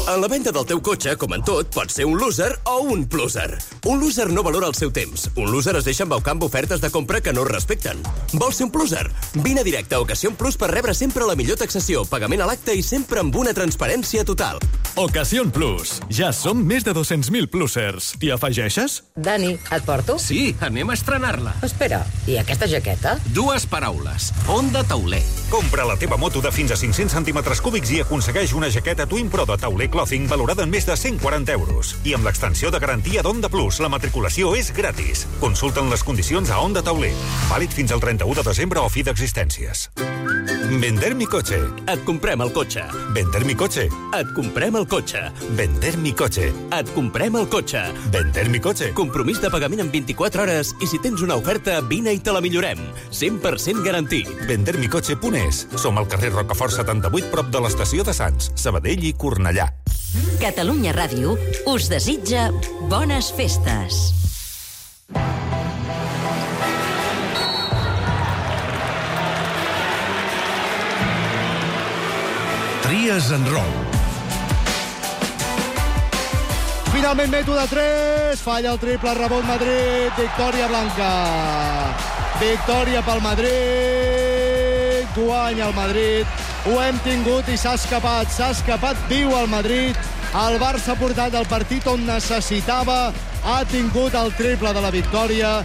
En la venda del teu cotxe, com en tot, pots ser un loser o un pluser. Un loser no valora el seu temps. Un loser es deixa embaucar amb ofertes de compra que no es respecten. Vols ser un pluser? Vine a directe a Ocasión Plus per rebre sempre la millor taxació, pagament a l'acte i sempre amb una transparència total. Ocasión Plus. Ja som més de dos-cents mil plusers. T'hi afegeixes? Dani, et porto? Sí, anem a estrenar-la. Espera, i aquesta jaqueta? Dues paraules. Honda Tauler. Compra la teva moto de fins a cinc-cents centímetres cúbics i aconsegueix una jaqueta Twin Pro de Tauler Clothing valorada en més de cent quaranta euros. I amb l'extensió de garantia d'Honda Plus, la matriculació és gratis. Consulta'n les condicions a Honda Tauler. Vàlid fins al trenta-u de desembre o fi d'existències. Vender mi coche. Et comprem el cotxe. Vender mi coche. Et comprem el cotxe. Vender mi coche. Et comprem el cotxe. Vender mi coche. Compromís de pagament en vint-i-quatre hores i si tens una oferta, vine i te la millorem. cent per cent garantit. vender mi coche punt es. Som al carrer Rocafort setanta-vuit, prop de l'estació de Sants, Sabadell i Cornellà. Catalunya Ràdio us desitja bones festes. Tries en rol. Finalment mètode tres, falla el triple, rebot Madrid, victòria blanca. Victòria pel Madrid, guanya el Madrid, ho hem tingut i s'ha escapat, s'ha escapat viu el Madrid. El Barça ha portat el partit on necessitava, ha tingut el triple de la victòria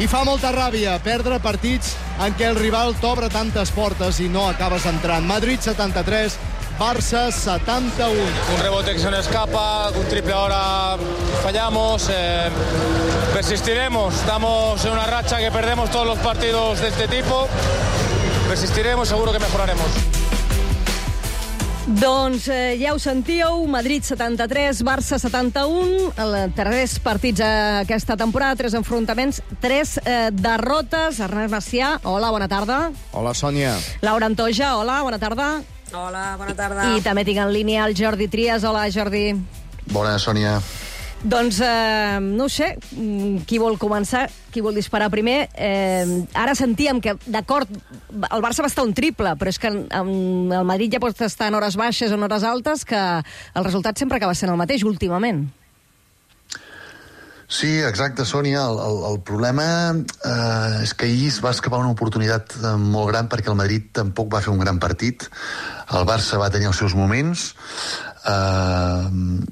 i fa molta ràbia perdre partits en què el rival t'obre tantes portes i no acabes entrant. Madrid setanta-tres, Barça setanta-un. Un rebote que se nos escapa, un triple ahora fallamos. Eh, persistiremos, estamos en una racha que perdemos todos los partidos de este tipo. Persistiremos, seguro que mejoraremos. Doncs eh, ja ho sentíeu, Madrid setanta-tres, Barça setanta-un, tres partits aquesta temporada, tres enfrontaments, tres eh, derrotes. Ernest Macià, hola, bona tarda. Hola, Sònia. Laura Antoja, hola, bona tarda. Hola, bona tarda. I també tinc en línia el Jordi Trias. Hola, Jordi. Bona, Sònia. Doncs, eh, no sé, qui vol començar, qui vol disparar primer. Eh, ara sentíem que, d'acord, el Barça va estar un triple, però és que el Madrid ja pot estar en hores baixes o en hores altes, que el resultat sempre acaba sent el mateix, últimament. Sí, exacte, Sònia. El, el, el problema eh, és que ahir es va escapar una oportunitat eh, molt gran perquè el Madrid tampoc va fer un gran partit. El Barça va tenir els seus moments. Uh,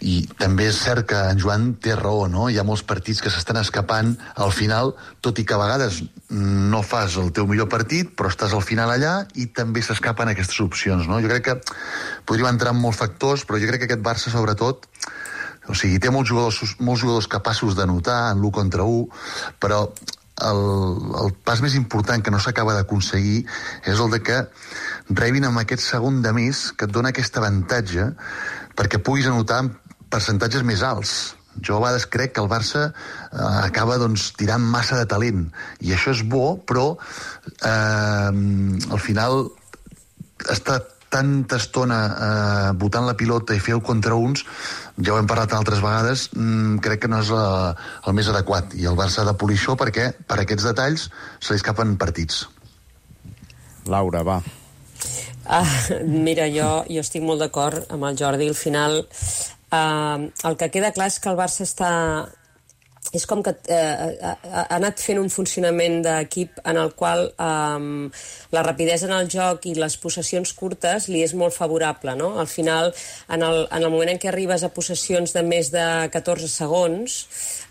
i també és cert que en Joan té raó, no? Hi ha molts partits que s'estan escapant al final, tot i que a vegades no fas el teu millor partit, però estàs al final allà i també s'escapen aquestes opcions, no? Jo crec que podríem entrar en molts factors, però jo crec que aquest Barça, sobretot, o sigui, té molts jugadors, molts jugadors capaços de notar en l'u contra u, però el, el pas més important que no s'acaba d'aconseguir és el de que rebin amb aquest segon de més que et dona aquest avantatge perquè puguis anotar percentatges més alts. Jo a vegades crec que el Barça eh, acaba doncs, tirant massa de talent, i això és bo, però eh, al final està tanta estona eh, botant la pilota i fer-ho contra uns, ja ho hem parlat altres vegades, mm, crec que no és la, el més adequat, i el Barça ha de polir això perquè per aquests detalls se li escapen partits. Laura, va. Ah, mira, jo, jo estic molt d'acord amb el Jordi. Al final, eh, el que queda clar és que el Barça està... És com que eh, ha, ha anat fent un funcionament d'equip en el qual eh, la rapidesa en el joc i les possessions curtes li és molt favorable, no? Al final, en el, en el moment en què arribes a possessions de més de catorze segons,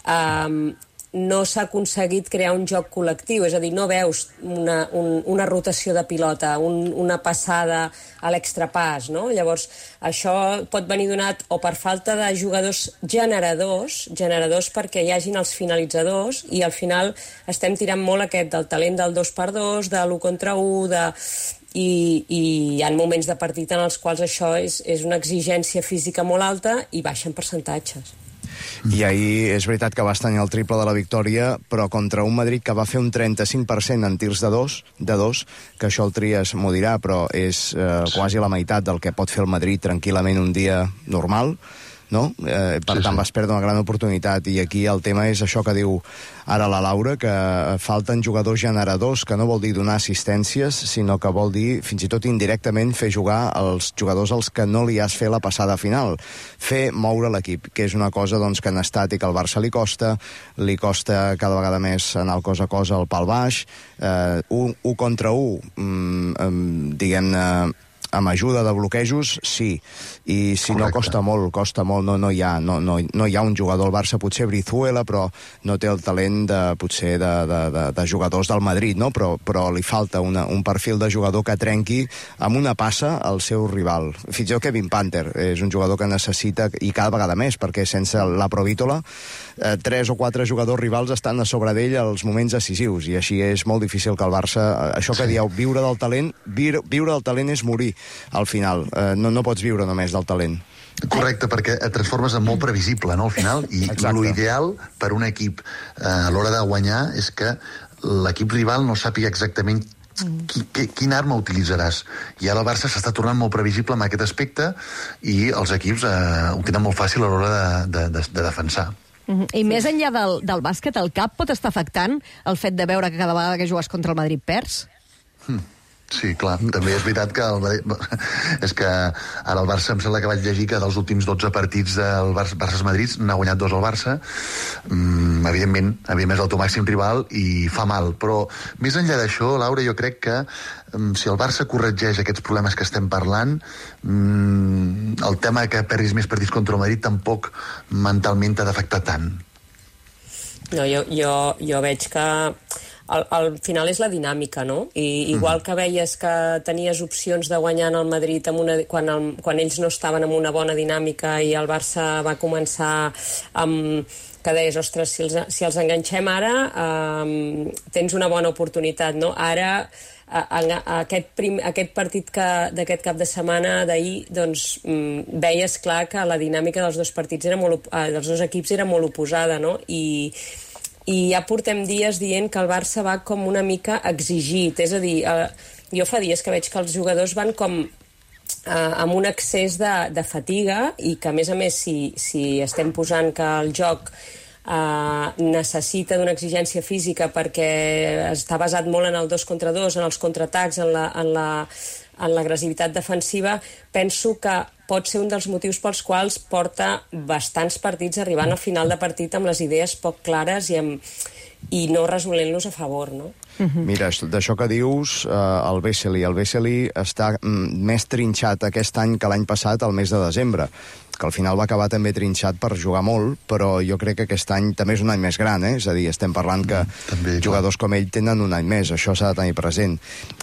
eh, no s'ha aconseguit crear un joc col·lectiu, és a dir, no veus una, un, una rotació de pilota, un, una passada a l'extrapàs, no? Llavors, això pot venir donat o per falta de jugadors generadors, generadors perquè hi hagin els finalitzadors, i al final estem tirant molt aquest del talent del dos per dos, de l'u contra u, de... I, i hi ha moments de partit en els quals això és, és una exigència física molt alta i baixen percentatges. I ahir és veritat que vas tenir el triple de la victòria, però contra un Madrid que va fer un trenta-cinc per cent en tirs de dos, de dos, que això el Trias m'ho dirà, però és eh, quasi la meitat del que pot fer el Madrid tranquil·lament un dia normal, no? Eh, per sí, tant, sí. Vas perdre una gran oportunitat, i aquí el tema és això que diu ara la Laura, que falten jugadors generadors, que no vol dir donar assistències, sinó que vol dir, fins i tot indirectament, fer jugar els jugadors als que no li has fet la passada final. Fer moure l'equip, que és una cosa doncs, que en estàtic al Barça li costa, li costa cada vegada més anar el cos a cos al pal baix, eh, un, un contra un, mm, diguem-ne, amb ajuda de bloquejos, sí. I si Correcte. No, costa molt, costa molt. No, no, hi ha, no, no, no hi ha un jugador al Barça, potser Brizuela, però no té el talent de, potser de, de, de, de jugadors del Madrid, no? Però, però li falta una, un perfil de jugador que trenqui amb una passa al seu rival. Fins i tot Kevin Panther és un jugador que necessita, i cada vegada més, perquè sense la Provítola, eh, tres o quatre jugadors rivals estan a sobre d'ell als moments decisius, i així és molt difícil que el Barça, això que dieu, viure del talent, viure, viure del talent és morir. Al final, eh, no, no pots viure només del talent. Correcte, perquè et transformes en molt previsible, no?, al final, i l'ideal per un equip eh, a l'hora de guanyar és que l'equip rival no sàpiga exactament qui, qui, quina arma utilitzaràs. I ara el Barça s'està tornant molt previsible en aquest aspecte, i els equips eh, ho tenen molt fàcil a l'hora de, de, de, de defensar. Uh-huh. I més enllà del, del bàsquet, el cap pot estar afectant el fet de veure que cada vegada que jugues contra el Madrid perds? Hmm. Sí, clar, també és veritat que el, és que ara el Barça, em sembla que vaig llegir que dels últims dotze partits del Barça-Madrid n'ha guanyat dos al Barça. Mm, evidentment, evidentment és el teu màxim rival i fa mal, però més enllà d'això, Laura, jo crec que mm, si el Barça corregeix aquests problemes que estem parlant, mm, el tema que perdis més partits contra el Madrid tampoc mentalment t'ha d'afectar tant. No, jo, jo, jo veig que Al, al final és la dinàmica, no? I igual que veies que tenies opcions de guanyar en el Madrid amb una, quan, el, quan ells no estaven en una bona dinàmica i el Barça va començar amb que deies, ostres, si els, si els enganxem ara um, tens una bona oportunitat, no? Ara a, a, a aquest, prim, aquest partit que, d'aquest cap de setmana d'ahir, doncs um, veies clar que la dinàmica dels dos partits era molt, uh, dels dos equips era molt oposada, no? I i ja portem dies dient que el Barça va com una mica exigit, és a dir, eh, jo fa dies que veig que els jugadors van com eh, amb un excés de, de fatiga, i que a més a més si, si estem posant que el joc eh, necessita d'una exigència física perquè està basat molt en el dos contra dos, en els contraatacs, en la, en la, en l'agressivitat defensiva, penso que pot ser un dels motius pels quals porta bastants partits arribant al final de partit amb les idees poc clares i, amb, i no resolent-los a favor, no? Mira, d'això que dius, eh, el Vesely. El Vesely està mm, més trinxat aquest any que l'any passat, al mes de desembre, que al final va acabar també trinxat per jugar molt, però jo crec que aquest any també és un any més gran, eh? És a dir, estem parlant que també, jugadors com ell tenen un any més, això s'ha de tenir present.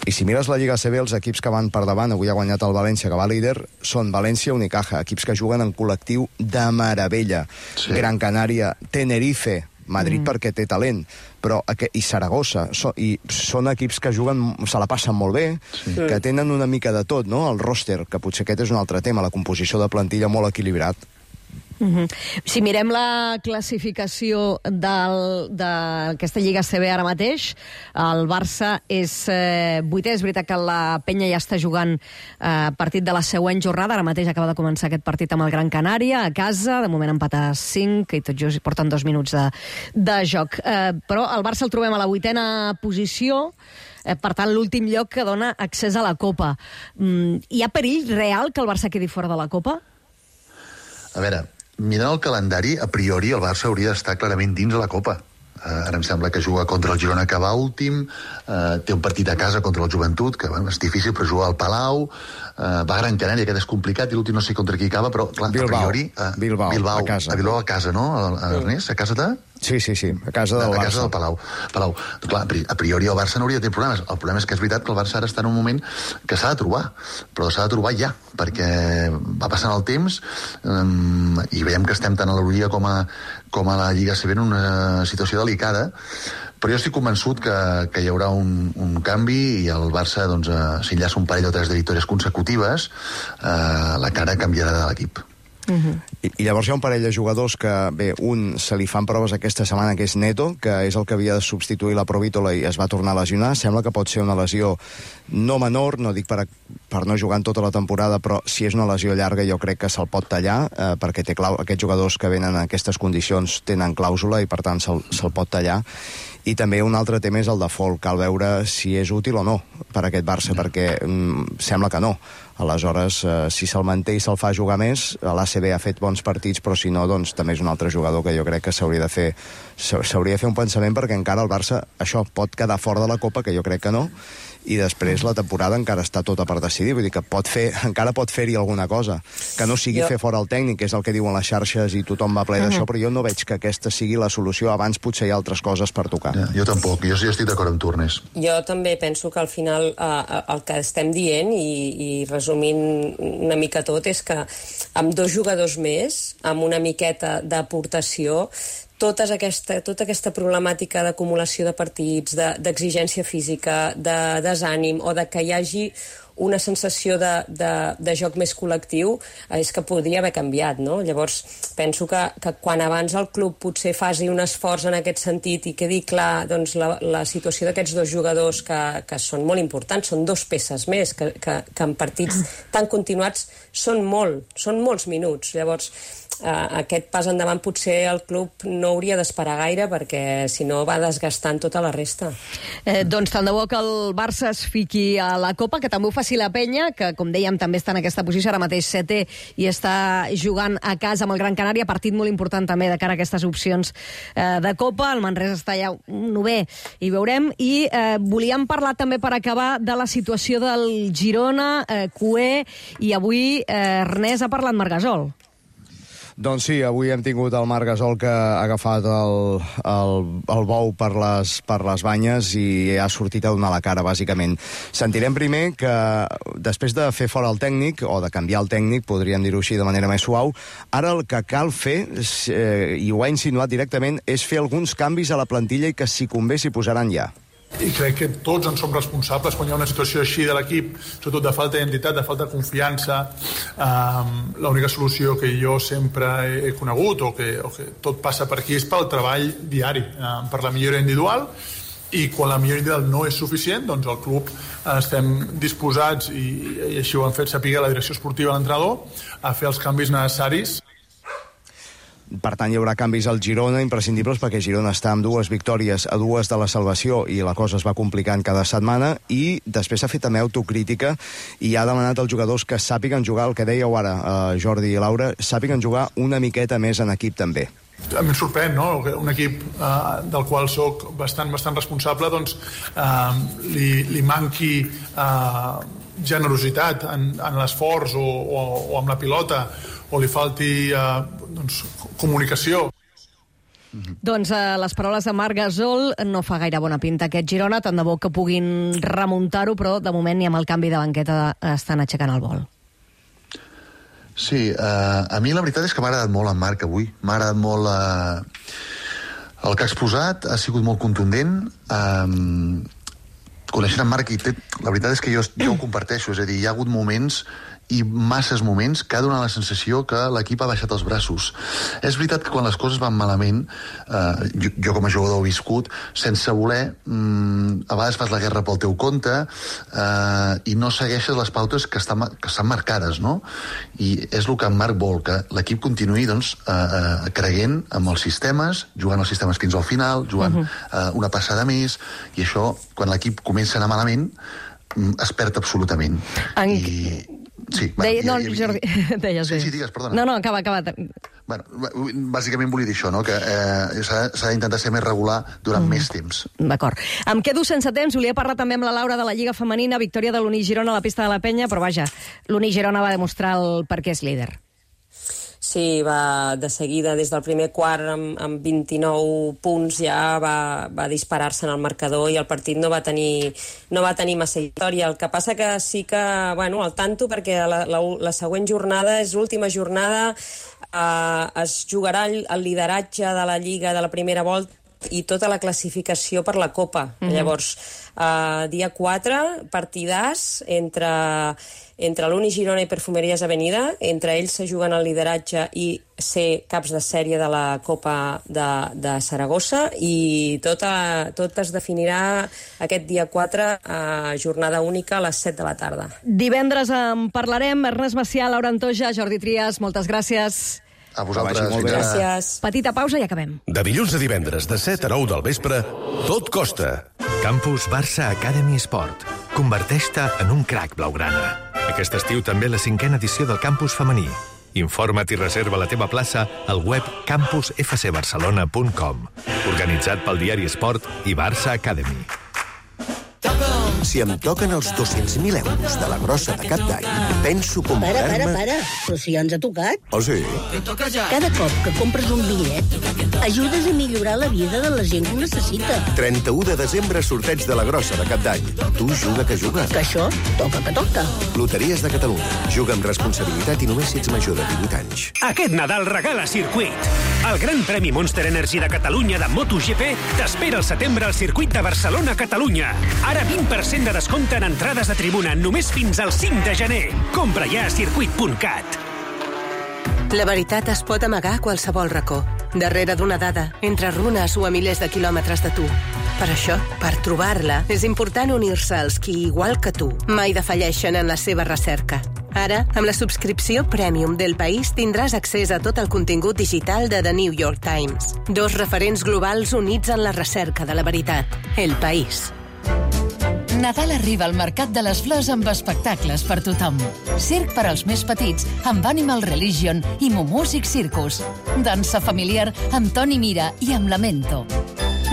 I si mires la Lliga A C B, els equips que van per davant, avui ha guanyat el València, que va líder, són València, Unicaja, equips que juguen en col·lectiu de meravella. Sí. Gran Canària, Tenerife, Madrid mm. perquè té talent, però i Saragossa, so, i són equips que juguen, se la passen molt bé, sí. que tenen una mica de tot, no? El roster, que potser aquest és un altre tema, la composició de plantilla molt equilibrat. Uh-huh. Si mirem la classificació d'aquesta Lliga A C B ara mateix, el Barça és eh, vuitè. És veritat que la Penya ja està jugant eh, partit de la següent jornada. Ara mateix acaba de començar aquest partit amb el Gran Canària a casa, de moment empat a cinc, i tot just porten dos minuts de, de joc. Eh, però el Barça el trobem a la vuitena posició, eh, per tant l'últim lloc que dona accés a la Copa. Mm, hi ha perill real que el Barça quedi fora de la Copa? A veure, mirant el calendari, a priori el Barça hauria d'estar clarament dins de la Copa. Uh, ara em sembla que juga contra el Girona, que va últim, uh, té un partit a casa contra el Joventut, que bueno, és difícil, però juga al Palau, uh, va a Gran Canària, que és complicat, i l'últim no sé contra qui acaba, però clar, Bilbao, a priori... Uh, Bilbao, Bilbao, a casa. A Bilbao a casa, no, Ernest? A casa de... Sí, sí, sí, a casa del a Barça. A casa del Palau. Palau. Clar, a priori el Barça no hauria de tenir problemes. El problema és que és veritat que el Barça ara està en un moment que s'ha de trobar, però s'ha de trobar ja, perquè va passant el temps um, i veiem que estem tant a l'Eurolliga com a, com a la Lliga A C B en una situació delicada, però jo estic convençut que, que hi haurà un, un canvi i el Barça, doncs, uh, si enllaça un parell o tres de victòries consecutives, uh, la cara canviarà de l'equip. Uh-huh. I, I llavors hi ha un parell de jugadors que, bé, un se li fan proves aquesta setmana, que és Neto, que és el que havia de substituir la Provítola i es va tornar a lesionar. Sembla que pot ser una lesió no menor, no dic per, a, per no jugar en tota la temporada, però si és una lesió llarga jo crec que se'l pot tallar, eh, perquè té clau, aquests jugadors que venen en aquestes condicions tenen clàusula i per tant se'l se pot tallar. I també un altre tema és el de Folk, cal veure si és útil o no per a aquest Barça, mm. perquè mm, sembla que no. Aleshores, eh, si se'l manté i se'l fa jugar més, l'A C B ha fet bons partits, però si no, doncs també és un altre jugador que jo crec que s'hauria de fer s'hauria de fer un pensament, perquè encara el Barça, això, pot quedar fora de la Copa, que jo crec que no, i després la temporada encara està tota per decidir, vull dir que pot fer, encara pot fer-hi alguna cosa, que no sigui jo... fer fora el tècnic, que és el que diuen les xarxes i tothom va ple d'això, uh-huh. però jo no veig que aquesta sigui la solució, abans potser hi ha altres coses per tocar. Ja, jo tampoc, jo sí estic d'acord amb tu, Ernest. Jo també penso que al final eh, el que estem dient, i, i resumint una mica tot, és que amb dos jugadors més, amb una miqueta d'aportació, Tota aquesta, tota aquesta problemàtica d'acumulació de partits, d'exigència de, física, de desànim, o de que hi hagi una sensació de, de, de joc més col·lectiu, és que podria haver canviat, no? Llavors, penso que, que quan abans el club potser faci un esforç en aquest sentit i quedi clar, doncs, la, la situació d'aquests dos jugadors que, que són molt importants, són dos peces més, que, que, que en partits tan continuats són molt, són molts minuts. Llavors, Uh, aquest pas endavant potser el club no hauria d'esperar gaire, perquè si no va desgastant tota la resta. Eh, doncs tant de bo que el Barça es fiqui a la Copa, que també ho faci la Penya, que com dèiem també està en aquesta posició, ara mateix setè, i està jugant a casa amb el Gran Canària, partit molt important també de cara a aquestes opcions eh, de Copa. El Manresa està ja novè i veurem, i eh, volíem parlar també per acabar de la situació del Girona, eh, Cué, i avui eh, Ernest ha parlat Margasol. Doncs sí, avui hem tingut el Marc Gasol, que ha agafat el, el, el bou per les, per les banyes i ha sortit a donar la cara, bàsicament. Sentirem primer que, després de fer fora el tècnic, o de canviar el tècnic, podríem dir-ho així de manera més suau, ara el que cal fer, eh, i ho ha insinuat directament, és fer alguns canvis a la plantilla i que, si convé, s'hi posaran ja. I crec que tots en som responsables quan hi ha una situació així de l'equip, sobretot de falta d'identitat, de falta de confiança. Um, l'única solució que jo sempre he, he conegut, o que, o que tot passa per aquí, és pel treball diari, um, per la millora individual, i quan la millora individual no és suficient, doncs el club estem disposats, i, i així ho han fet saber la direcció esportiva i l'entrenador, a fer els canvis necessaris. Per tant, hi haurà canvis al Girona imprescindibles perquè Girona està amb dues victòries a dues de la salvació i la cosa es va complicant cada setmana, i després s'ha fet també autocrítica i ha demanat als jugadors que sàpiguen jugar, el que dèieu ara, eh, Jordi i Laura, sàpiguen jugar una miqueta més en equip també. A mi em sorprèn, no?, que un equip eh, del qual sóc bastant, bastant responsable, doncs eh, li, li manqui eh, generositat en, en l'esforç o, o, o amb la pilota, o li falti eh, doncs, comunicació. Doncs eh, les paraules de Marc Gasol no fa gaire bona pinta aquest Girona, tant de bo que puguin remuntar-ho, però de moment ni amb el canvi de banqueta estan aixecant el vol. Sí, eh, a mi la veritat és que m'ha agradat molt en Marc avui. M'ha agradat molt eh, el que ha exposat, ha sigut molt contundent. Eh, coneixent en Marc, i té, la veritat és que jo, jo ho comparteixo, és a dir, hi ha hagut moments i masses moments que ha donat la sensació que l'equip ha baixat els braços. És veritat que quan les coses van malament, eh, jo, jo com a jugador he viscut, sense voler, mmm, a vegades fas la guerra pel teu compte eh, i no segueixes les pautes que estan, que estan marcades, no? I és el que en Marc vol, que l'equip continuï doncs, eh, eh, creient amb els sistemes, jugant els sistemes fins al final, jugant uh-huh. eh, una passada més, i això, quan l'equip comença a anar malament, es perd absolutament. En... I... Sí, bueno, Deia, i, no, i, Jordi, deies sí, bé. sí, digues, perdona. No, no, acaba, acaba. Bueno, bàsicament volia dir això, no?, que eh, s'ha d'intentar ser més regular durant mm. més temps. D'acord. Em quedo sense temps, volia parlar també amb la Laura de la Lliga Femenina, victòria de l'Uni Girona a la pista de la Penya, però vaja, l'Uni Girona va demostrar el per què és líder. Sí, va de seguida, des del primer quart, amb, amb vint-i-nou punts, ja va, va disparar-se en el marcador i el partit no va tenir, no va tenir massa història. El que passa que sí que, bueno, al tanto, perquè la, la, la següent jornada és l'última jornada, eh, es jugarà el, el lideratge de la Lliga de la primera volta i tota la classificació per la Copa. Mm-hmm. Llavors, eh, dia quatre, partidàs entre, entre l'Uni Girona i Perfumeries Avenida. Entre ells se juguen el lideratge i ser caps de sèrie de la Copa de, de Saragossa, i tot, a, tot es definirà aquest dia quatre, a jornada única a les set de la tarda. Divendres en parlarem. Ernest Macià, Laura Antoja, Jordi Trias, moltes gràcies. A vosaltres. Gràcies. Petita pausa i acabem. De dilluns a divendres, de set a nou del vespre, tot costa. Campus Barça Academy Sport. Converteix-te en un crac blaugrana. Aquest estiu també la cinquena edició del campus femení. Informa't i reserva la teva plaça al web campus f c barcelona punt com. Organitzat pel diari Esport i Barça Academy. Si em toquen els dos-cents mil euros de la grossa de cap d'any, penso comprar-me... Para, para, para. Però si ja ens ha tocat. Oh, sí? Cada cop que compres un bitllet, ajudes a millorar la vida de la gent que ho necessita. trenta-u de desembre, sorteig de la grossa de cap d'any. Tu juga que juga. Que això toca que toca. Loteries de Catalunya. Juga amb responsabilitat i només si ets major de divuit anys. Aquest Nadal regala Circuit. El Gran Premi Monster Energy de Catalunya de MotoGP t'espera al setembre al circuit de Barcelona-Catalunya. Ara vint per cent de descompte en entrades de tribuna només fins al cinc de gener. Compra ja a circuit punt cat. La veritat es pot amagar a qualsevol racó, darrere d'una dada, entre runes o a milers de quilòmetres de tu. Per això, per trobar-la, és important unir-se als qui, igual que tu, mai defalleixen en la seva recerca. Ara, amb la subscripció Premium del País, tindràs accés a tot el contingut digital de The New York Times. Dos referents globals units en la recerca de la veritat. El País. Nadal arriba al Mercat de les Flors amb espectacles per tothom. Circ per als més petits amb Animal Religion i Mumúsic Circus. Dansa familiar amb Toni Mira i amb Lamento.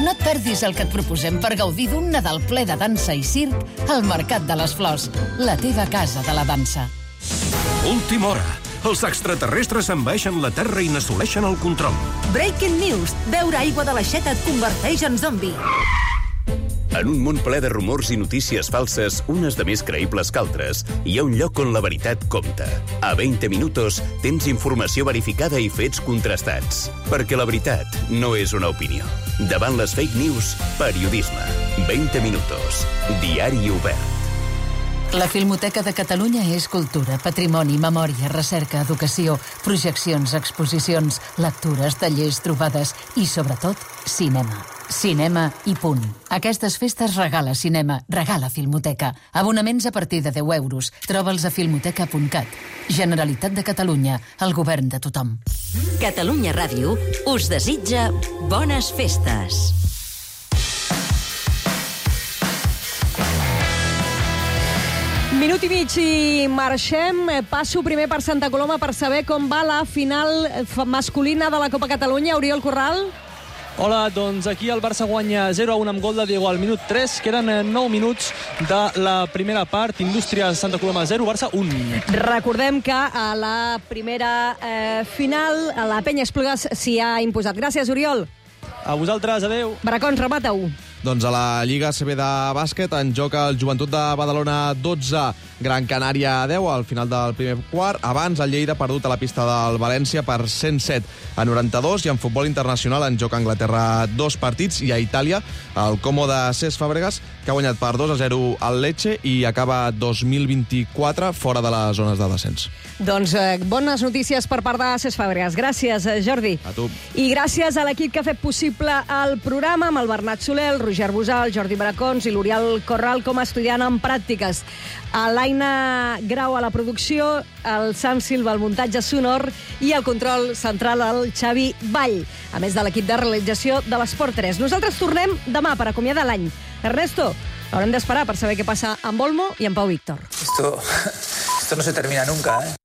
No et perdis el que et proposem per gaudir d'un Nadal ple de dansa i circ al Mercat de les Flors, la teva casa de la dansa. Última hora. Els extraterrestres envaeixen la Terra i n'assoleixen el control. Breaking news. Beure aigua de l'aixeta et converteix en zombi. En un món ple de rumors i notícies falses, unes de més creïbles que altres, hi ha un lloc on la veritat compta. A vint minutos tens informació verificada i fets contrastats. Perquè la veritat no és una opinió. Davant les fake news, periodisme. vint minutos. Diari obert. La Filmoteca de Catalunya és cultura, patrimoni, memòria, recerca, educació, projeccions, exposicions, lectures, tallers, trobades i, sobretot, cinema. Cinema i punt. Aquestes festes regala cinema, regala Filmoteca. Abonaments a partir de deu euros. Troba'ls a filmoteca punt cat. Generalitat de Catalunya, el govern de tothom. Catalunya Ràdio us desitja bones festes. Minut i mig i marxem. Passo primer per Santa Coloma per saber com va la final masculina de la Copa Catalunya. Oriol Corral. Hola, doncs aquí el Barça guanya zero a un amb gol de Diego al minut tres. Queden nou minuts de la primera part. Indústria Santa Coloma zero, Barça un. Recordem que a la primera eh, final la Penya Esplugues s'hi ha imposat. Gràcies, Oriol. A vosaltres, adeu. Bracons, remata-ho. Doncs a la Lliga A C B de bàsquet en joc el Joventut de Badalona dotze, Gran Canària deu al final del primer quart. Abans el Lleida perdut a la pista del València per cent set a noranta-dos, i en futbol internacional en joc a Anglaterra dos partits, i a Itàlia el Como de Cesc Fàbregas, que ha guanyat per dos a zero al Lecce i acaba dos mil vint-i-quatre fora de les zones de descens. Doncs eh, bones notícies per part de Cesc Fàbregas. Gràcies, Jordi. A tu. I gràcies a l'equip que ha fet possible el programa, amb el Bernat Soler, el Roger Busal, el Jordi Bracons i l'Oriol Corral com a estudiant en pràctiques. A l'Aina Grau a la producció, el Sam Silva al muntatge sonor i el control central al Xavi Vall, a més de l'equip de realització de l'Esport tres. Nosaltres tornem demà per acomiadar l'any. Ernesto, haurem d'esperar per saber què passa amb Olmo i amb Pau Víctor. Esto, esto no se termina nunca, ¿eh?